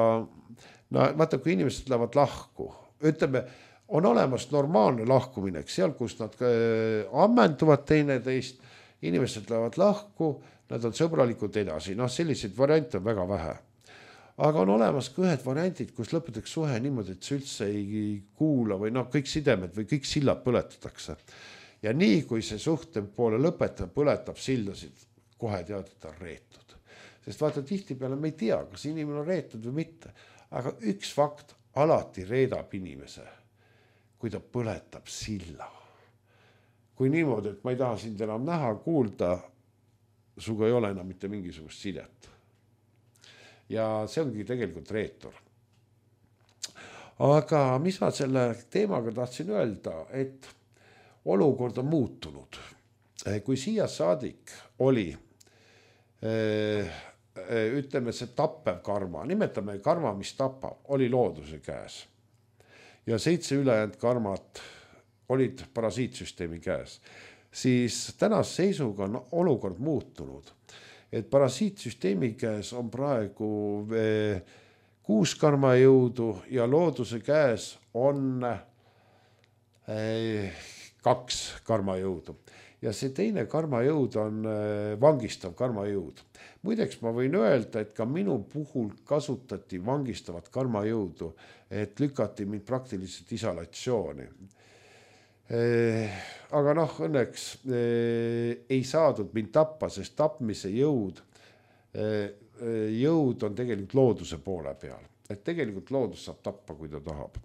no vaata, kui inimesed lähevad lahku, ütleme, on olemas normaalne lahkumine, seal, kus nad ammenduvad teineteist, inimesed lähevad lahku, nad on sõbralikud edasi. Noh, selliseid variante on väga vähe. Aga on olemas ka ühed variandid, kus lõpetaks suhe niimoodi, et see üldse ei kuula või noh, kõik sidemed või kõik sillad põletatakse. Ja nii, kui see suhte poole lõpetab, põletab sildasid, kohe tead, et on reetud. Sest vaata, tihti peale me ei tea, kas inimene on reetud või mitte. Aga üks fakt alati reedab inimese, kui ta põletab silla. Kui niimoodi, et ma ei taha sind enam näha, kuulda, suga ei ole enam mitte mingisugust sidet. Ja see ongi tegelikult reetur. Aga mis ma selle teemaga tahtsin öelda, et olukord on muutunud. Kui siia saadik oli, ütleme see tappev karma, nimetame karma, mis tapab, oli looduse käes. Ja seitse ülejäänud karmat olid parasiitsüsteemi käes. Siis tänase seisuga on olukord muutunud. Et parasiitsüsteemi käes on praegu kuus karmajõudu ja looduse käes on kaks karmajõudu. ja see teine karmajõud on vangistav karmajõud. Muideks ma võin öelda, et ka minu puhul kasutati vangistavat karmajõudu, et lükati mind praktiliselt isolatsiooni. Aga noh, õnneks ei saadud mind tappa, sest tapmise jõud, jõud on tegelikult looduse poole peal. Et tegelikult loodus saab tappa, kui ta tahab.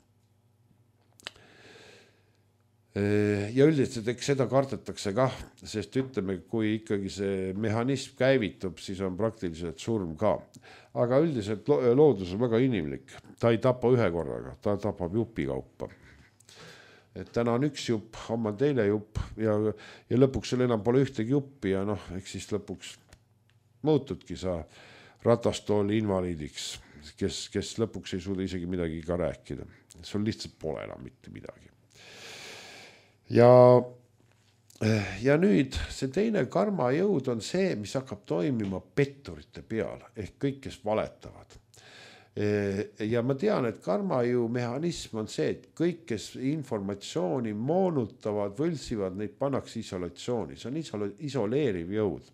Ja üldiselt eks seda kardetakse kah, sest ütleme, kui ikkagi see mehhanism käivitub, siis on praktiliselt surm ka. Aga üldiselt loodus on väga inimlik. Ta ei tapa ühe korraga, ta tapab jupi kaupa. Et täna on üks jupp, homme on teine jupp ja, ja lõpuks sul enam pole ühtegi juppi ja noh, eks siis lõpuks muutudki sa ratastooli invaliidiks, kes, kes lõpuks ei suuda isegi midagi ka rääkida. Sul lihtsalt pole enam mitte midagi. Ja, ja nüüd see teine karmajõud on see, mis hakkab toimima petturite peal, ehk kõik, kes valetavad. Ja ma tean, et karmajõu mehhanism on see, et kõik, kes informatsiooni moonutavad, võlsivad, neid pannakse isolatsiooni. See on isole, isoleeriv jõud.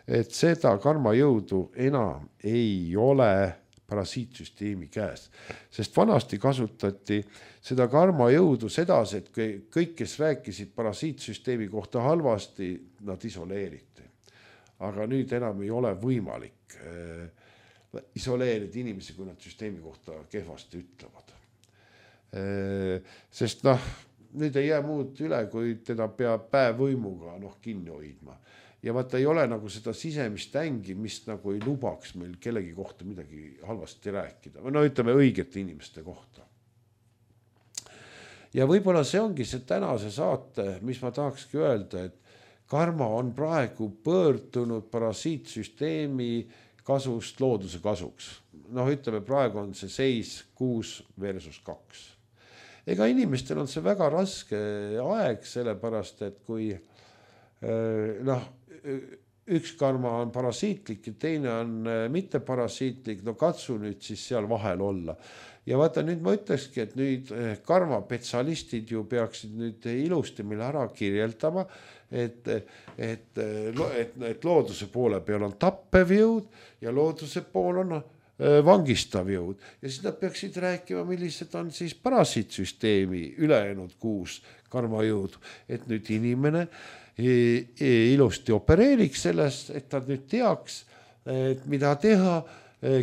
Et seda karmajõudu enam ei ole parasiitsüsteemi käes. Sest vanasti kasutati seda karmajõudu sedasi, et kõik, kes rääkisid parasiitsüsteemi kohta halvasti, nad isoleeriti. Aga nüüd enam ei ole võimalik isoleerida inimesi, kui nad süsteemi kohta kehvasti ütlevad. Sest noh, nüüd ei jää muud üle, kui teda peab päevvõimuga noh, kinni hoidma. Ja vaata ei ole nagu seda sisemist ängi, mis nagu ei lubaks meil kellegi kohta midagi halvasti rääkida. No ütleme õigete inimeste kohta. Ja võib-olla see ongi see tänase saate, mis ma tahakski öelda, et karma on praegu pöördunud parasiitsüsteemi kasust looduse kasuks. Noh, ütleme, praegu on see seis kuus versus kaks. Ega inimestel on see väga raske aeg, sellepärast, et kui noh, üks karma on parasiitlik ja teine on mitte parasiitlik, no katsu nüüd siis seal vahel olla. Ja vaata, nüüd ma ütlekski, et nüüd karmapetsialistid ju peaksid nüüd ilusti meil ära kirjeldama, et, et, et, et looduse poole peal on tappev jõud ja looduse pool on vangistav jõud. Ja siis nad peaksid rääkima, millised on siis parasiitsüsteemi ülejäänud kuus karmajõudu, et nüüd inimene ilusti opereeriks sellest, et ta nüüd teaks, et mida teha,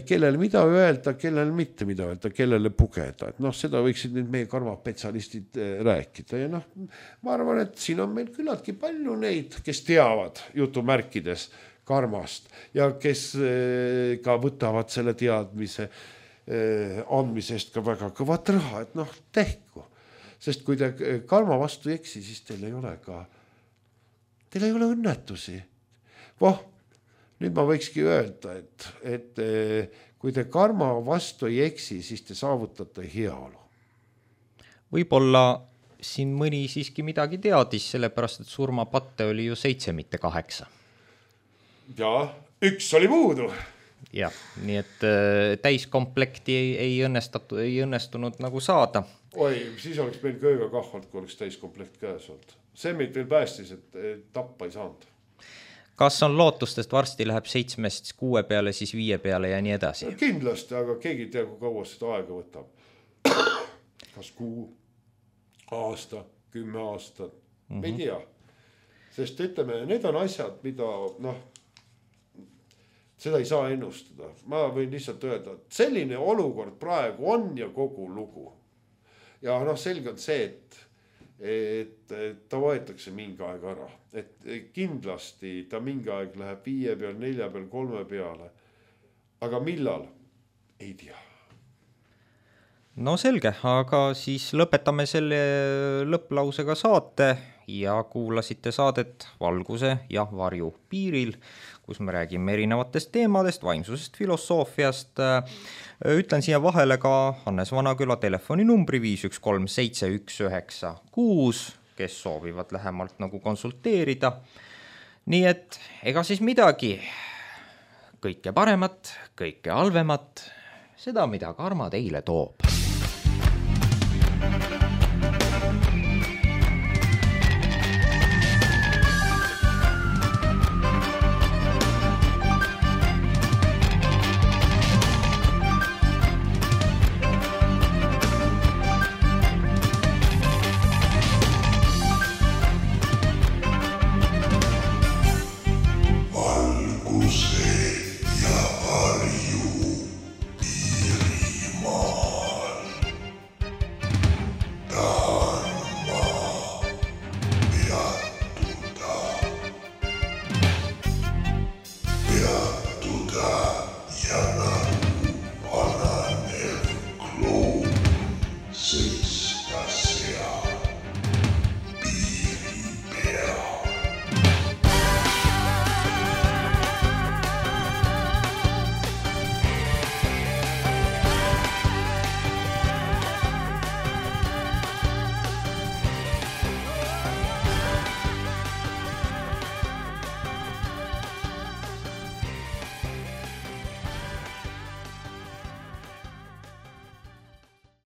kellel mida öelda, kellel mitte mida öelda, kellele pugeda. Et noh, seda võiksid nüüd meie karmapetsialistid rääkida. Ja noh, ma arvan, et siin on meil küllaltki palju neid, kes teavad jutumärkides karmast ja kes ka võtavad selle teadmise andmisest ka väga kõvat raha, et noh, tehku. Sest kui te karma vastu ei eksi, siis teil ei ole ka Teil ei ole õnnetusi. Voh, nüüd ma võikski öelda, et, et kui te karma vastu ei eksi, siis te saavutate heaolu. Võib-olla siin mõni siiski midagi teadis, sellepärast, et surmapatte oli ju seitse, mitte kaheksa. Ja, üks oli puudu. Ja, nii et täiskomplekti ei, ei, õnnestatu, ei õnnestunud nagu saada. Oi, siis oleks meil kööga kahvalt, kui oleks täiskomplekt käes olnud. See meid veel päästis, et tappa ei saanud. Kas on lootustest varsti läheb seitsmest kuue peale, siis viie peale ja nii edasi? Kindlasti, aga keegi ei tea, kui kaua seda aega võtab. Kas kuu, aasta, kümme aastat, mm-hmm. me ei tea. Sest ütleme, need on asjad, mida noh, seda ei saa ennustada. Ma võin lihtsalt öelda, et selline olukord praegu on ja kogu lugu. Ja noh, selge on see, et et ta võetakse mingi aeg ära. Et kindlasti ta mingi aeg läheb viie peal, nelja peal, kolme peale. Aga millal? Ei tea. No selge, aga siis lõpetame selle lõpplausega saate ja kuulasite saadet Valguse ja varju piiril, kus me räägime erinevatest teemadest, vaimsusest, filosoofiast. Ütlen siia vahele ka Hannes Vanaküla telefoninumbri viis üks kolm seitse üks üheksa kuus, kes soovivad lähemalt nagu konsulteerida. Nii et ega siis midagi, kõike paremat, kõike halvemat, seda mida karma teile toob.